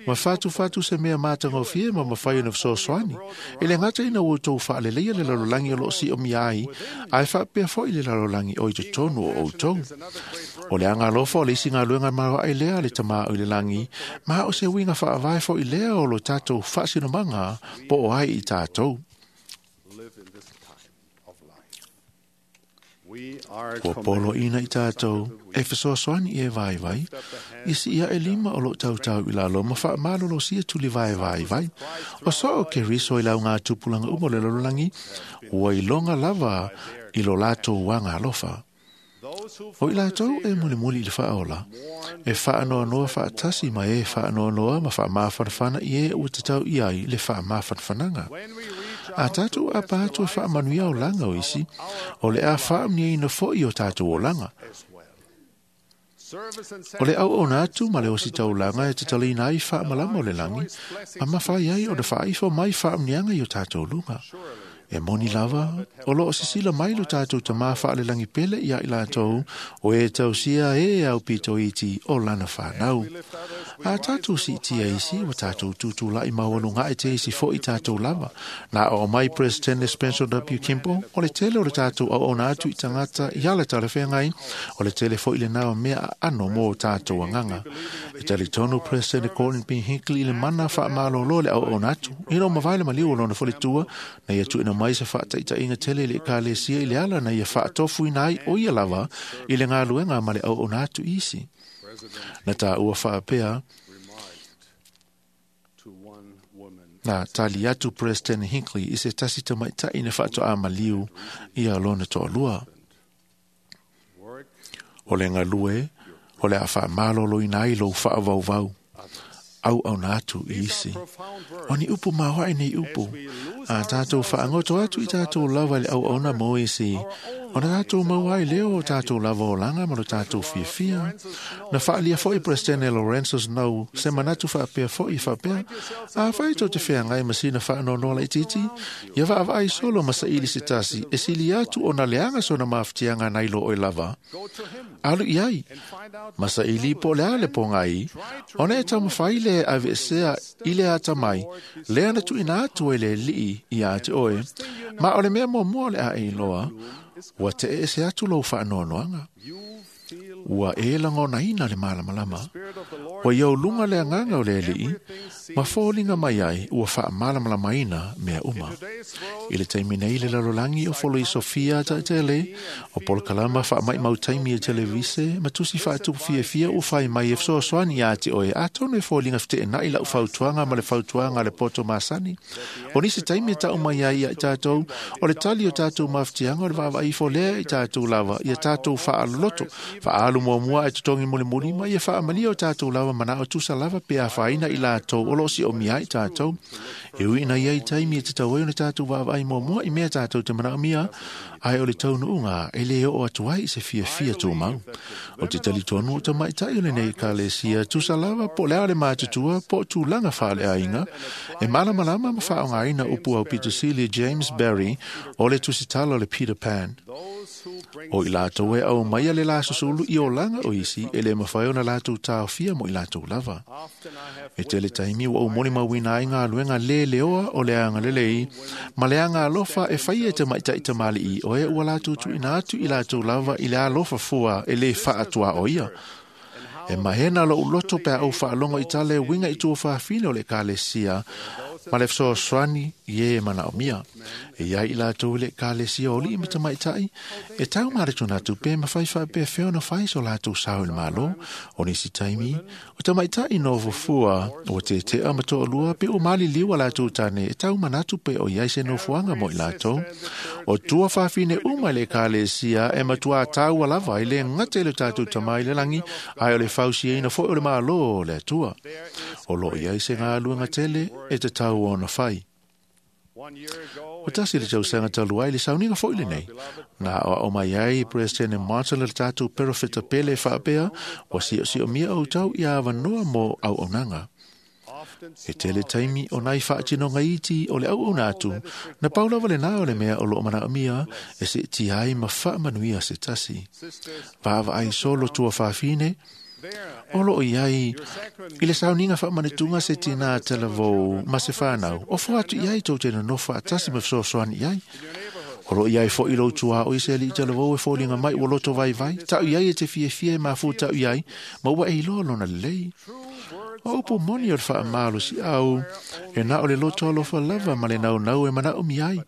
ma whatu whatu se mea mātangofie ma mawhai ona wsosoani. E le ngata ina o tau whaaleleia le lalolangi o lo si o miai, ai whaapea fo i le lalolangi o i te tonu o o tau. O le anga alofa o le isi ngā luenga marawa ai lea le tamā o le langi, ma o se winga whaavae fo i lea o lo tātou whaasinomanga po o ai i tātou. Kua polo ina i tātou, e whasoasoani i e vai vai, i si ia e lima o lo tautau i lalo, ma wha malolo sia tuli vai vai vai. O so o ke riso i lau ngā tupulanga umo le lololangi, ua i longa lava i lo lātou wanga alofa. O i latou e mulimuli i le faaola, e faanoanoa faatasi ma e faanoanoa ma faamafanafana i e ua tatau i ai le faamafanafanaga. A tatou apa atu e faamanuia olaga o isi, o le a faamanuiaina foi o tatou olaga. O le auauna atu ma le ositaulaga e tatalaina ai faamalama o le lagi, ma mafai ai ona faaifo mai faamanuiaga i o tatou luga. E moni lava, o loo sisila mai lo tatou tamā faalelagi pele ia i latou, o e tausia e au pito iti o lana whanau. A tatou siitia isi, wa tatou tutulai maualuga e te isi foi tatou lava. Na o mai President Spencer W. Kimball, o le tele o le tatou auauna atu i tagata i ala talafeagai, o le tele foi lena o mea aano mo tatou agaga. E talitonu President Gordon B. Hinckley i le mana faamalōlō le auauna atu, ina o mavae le maliu o lona faletua, na ia tuuina mai se faataitaiga tele i le ekalesia i le ala na ia faatofuina ai o ia lava i le galuega ma le auauna atu i isi. Na tāua faapea, na tali atu President Hinckley i se tasi tamaitai na faatoa maliu ia lona toalua. O le galue, o le a faamalōlōina ai lou faavauvau, auauna atu i isi. O ni upu maoae nei upu, a tatou faagoto atu i tatou lava i le auauna mo isi, ona tatou maua ai lea o tatou lava olaga ma lo tatou fiafia. Na faalia foi President Lorenzo Snow se manatu faapea foi faapea, afai tou te feagai ma sina faanoanoa laitiiti, ia vaavaai solo ma saili se tasi, e sili atu ona leaga sona mafatiaga nai lo oe lava. Alu i ai, ma saili po o le a le pogai, ona e taumafai le aveesea i le atamai, lea na tuuina atu ai le Alii ia te oe, ma o le mea muamua o le a e iloa, ua teese atu lou faanoanoaga. Ua e lagonaina le malamalama. Ua ia uluga le agaga o le Alii, ma foliga mai ai ua faamalamalamaina mea uma. I le taimi nei le lalolagi o foloi Sofia taitele, o polokalama faamaimau taimi e televise, ma tusi faatupu fiafia ua fai mai e fesoasoani ia te oe, atonu e foliga feteenai lau fautuaga ma le fautuaga a le poto masani. O nisi taimi e tau mai ai ia i tatou, o le tali o tatou mafatiaga o le vaavaai ifo lea i tatou lava, ia tatou faaloloto, faaalu muamua e totogi mulimuli, ma ia faamalia o tatou lava manao tusa lava pe afaina i latou o loo siomia ai tatou. E ui ina ia i taimi e tatau ai ona tatou vaavaai muamua i mea tatou te manaomia, ae o le taunuuga e le oo atu ai i se fiafia tumau. O te talitonu o tamaitai o lenei ekalesia tusa lava po o le a le matutua po o tulaga faaleaiga, e malamalama ma faaaogaina upu au pitosili James Barry o le tusitala o le Peter Pan. O i latou e au mai le la susulu i olaga o isi e le mafai ona latou taofia mo i latou lava. E tele taimi ua ou molimauina ai galuega lē leoa o le agalelei ma le aga alofa e faia e tamaitai tamalii o e ua latou tuuina atu i latou lava i le alofa fua e lē faatuaoia. E mahena lou loto pe a ou faalogo i tala e uiga i tuafafine o le ekalesia ma le fesoasoani i e manaomia. E iai i latou i le ekalesia o alii ma tamaitai, e tau maletuna atu pe mafai faapefea ona fai so latou sao i le Malo. O nisi taimi, o tamaitai nofofua ua tetea ma toalua pe ua maliliu a latou tane e tau manatu pe o iai se nofoaga mo i latou. O tuafafine uma i le ekalesia e matuā taua lava i le gata i le tatou Tamā i le lagi, ae o le fausiaina foi o le Malo o le Atua. O loo iai se galuega tele e tatau ona fai. O tasi le tausaga talu ai le sauniga foi lenei. Na aoao mai ai President Martin le tatou perofeta pele e faapea, ua siosiomia outou ia avanoa mo auaunaga. E tele taimi o nai faatinoga iti o le auauna atu, na pau lava lena o le mea o loo manaomia e seetia ai ma faamanuia se tasi. Vaavaai solo tuafafine, o loo iai i le sauniga faamanatuga se tinā talavou ma se whanau, ofo atu i ai tou te nonofo faatasi ma fesoasoani i ai. O loo iai foi lou tuaoi se alii talavou e foliga mai ua loto vaivai, tau i ai e te fiafia e mafua tau i ai, ma ua e iloa lona lelei. O upu moni o le faamalosiau, e na o le loto alofa lava ma le naunau e manaomia ai.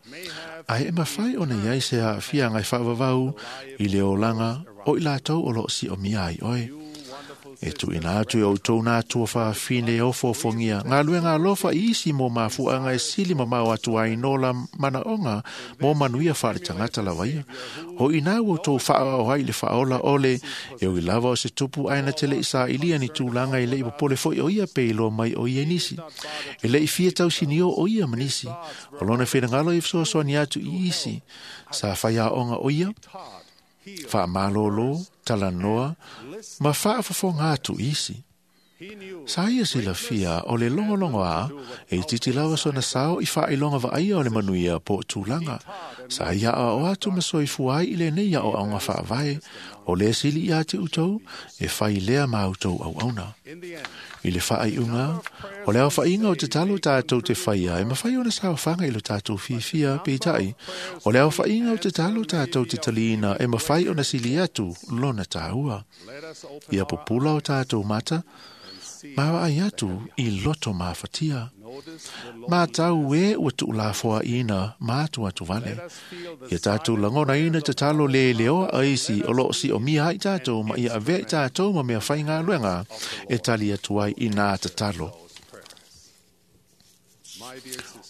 Ae e mafai ona iai se aafiaga e faavavau i le olaga o i latou o loo siomia ai oe. E tuuina atu e outou nā tuafafine e ofoofogia galuega alofa i isi mo mafuaaga e sili mamao atu ai no la manaoga mo manuia faaletagata lava ia. O inā ua outou faaoao ai i le faaola ole e ui lava o se tupu ae na te leʻi sailia ni tulaga e leʻi popole foʻi o ia pe iloa mai o ia i nisi. E leʻi fia tausinio o ia ma nisi. O lona finagalo e fesoasoani atu i isi. Sa faiaoga o ia, faamalōlō, talanoa, ma faafofoga atu i isi. Sa ia silafia o le logologo a e itiiti lava sona sao i faailoga vaaia o le manuia po o tulaga. Sa ia aoao atu ma soifua ai i lenei aoaoga faavae o le sili iā te outou e fai lea ma outou auauna. I le faaiuga, o le aofaiga o tatalo tatou te faia e mafai ona saofaga i lo tatou fiafia peitai. O le aofaiga o tatalo tatou te taliina e mafai ona sili atu lona tāua. Ia pupula o tatou mata, ma vaai atu i loto mafatia. Matau e ua tuulafoaina ma atu atu vale. Ia tatou lagonaina tatalo leleoa a isi o loo siomia ai tatou ma ia avea i tatou ma mea faigaluega e tali atu ai i nā tatalo.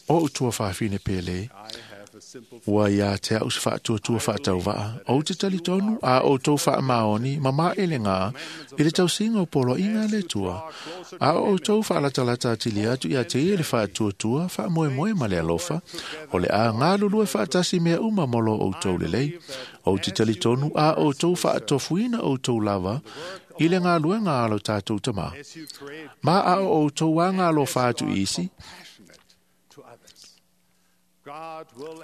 O ou tuafafine pele, ua iā te au se faatuatua faatauvaa, ou te talitonu a outou faamaoni ma maʻelegā i le tausiga o poloaiga a le Atua. A o outou faalatalata atili atu iā te ia le faatuatua faamoemoe ma le alofa, o le a galulue faatasi mea uma mo lo outou lelei. Ou te talitonu a outou faatofuina outou lava i le galuega a lo tatou Tamā. Ma a o outou agalofa atu i isi,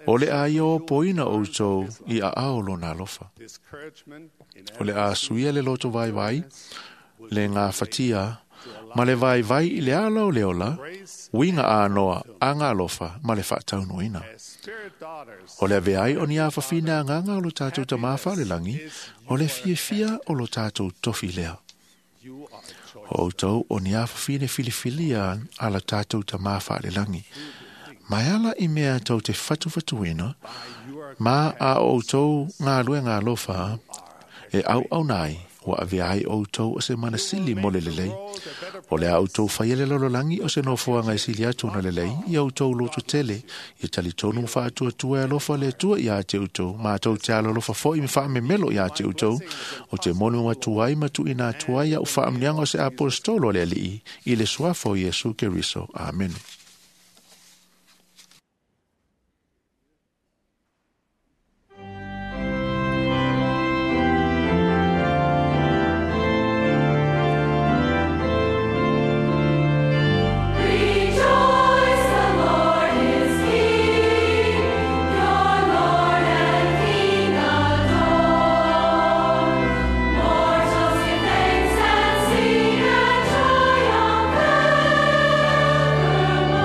o le a ia opoina outou i aao lona alofa. O le a suia le loto vaivai, le gafatia, ma le vaivai i le ala o le ola, uiga anoa a galofa ma le faataunuina. O le avea ai o ni afafina agaga o lo tatou Tamā faalelagi, o le fiafia o lo tatou tofi lea. O outou o ni afafine filifilia a lo tatou Tamā faalelagi. Mai ala i mea tou te fatufatuina, ma a outou galuega alofa e auauna ai, ua avea ai outou o se manasili mo le lelei. O le a outou faia le lalolagi o se nofoaga e sili atu ona lelei, ia outou loto tele, ia talitonu ma faatuatua e alofa le Atua iā te outou, ma tou te alolofa foʻi ma faamemelo iā te outou, o te moni atu ai ma tuuina atu ai au faamuniaga o se aposetolo a le Alii, i le suafa o Iesu Keriso. Amene. Rejoice, the Lord is King, your Lord and King adore. Mortals give thanks and sing and triumph evermore.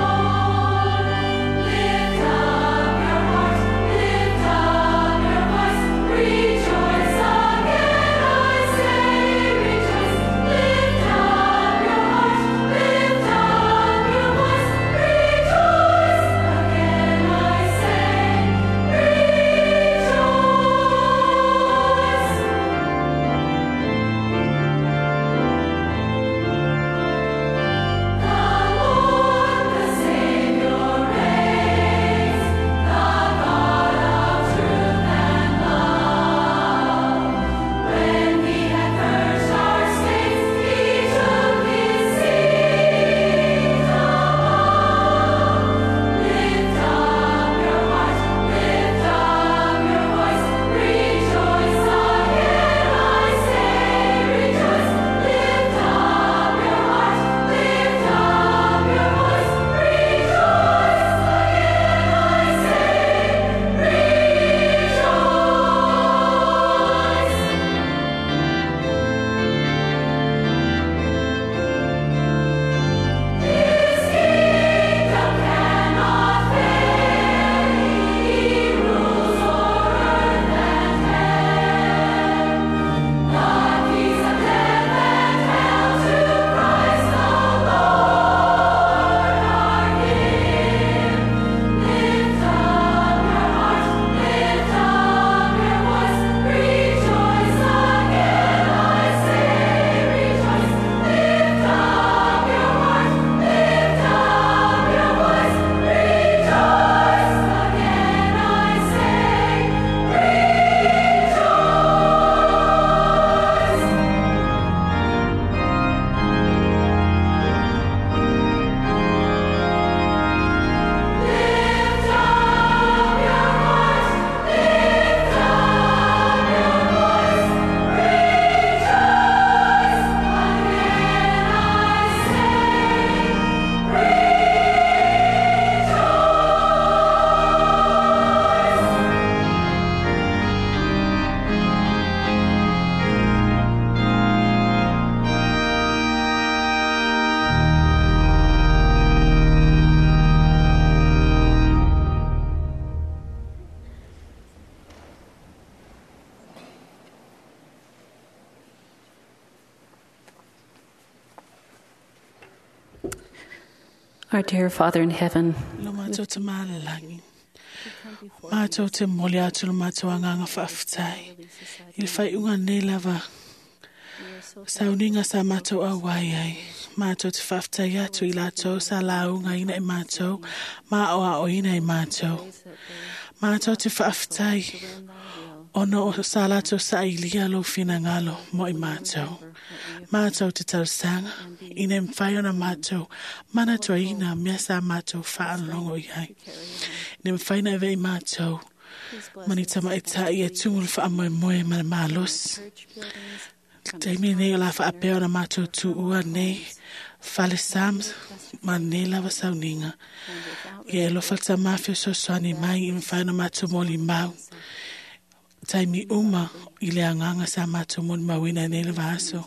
Our dear Father in heaven, Lo mātou te mālalangi. Mātou te moli atu lo mātou anganga whaaftai. I le whai unga nei lava. Sauninga sa mātou au wai ai. Mātou te whaaftai atu i lātou sa launga ina i mātou. Mā o a o ina i mātou. Mātou te whaaftai. Ono o sa lātou sa ilia lo whinangalo mo i mātou. Mātou te tausanga, ina mwhai ona mātou, mana tua ina mea sa mātou whaalongo i ai. Ina mwhai na ewe i mātou, mani tama e tā i e tungulu wha moe moe mana mālos. Taimi nei o la whaapea ona mātou tū ua nei, whale sams, ma nei lava sauninga. Ia e lofa ta mawhio sosoani mai i mwhai ona mātou moli mau. Taimi uma i le anganga sa mātou moni mauina nei le vaso.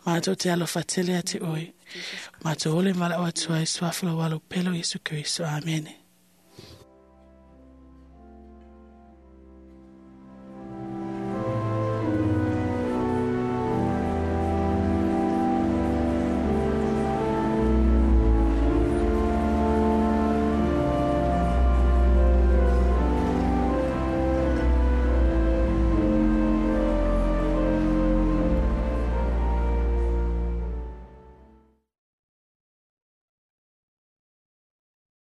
Mātou te alofa tele ate oe. Mātou ole mala o atua e suafalo walo pelo Yesu Kristo. Amene.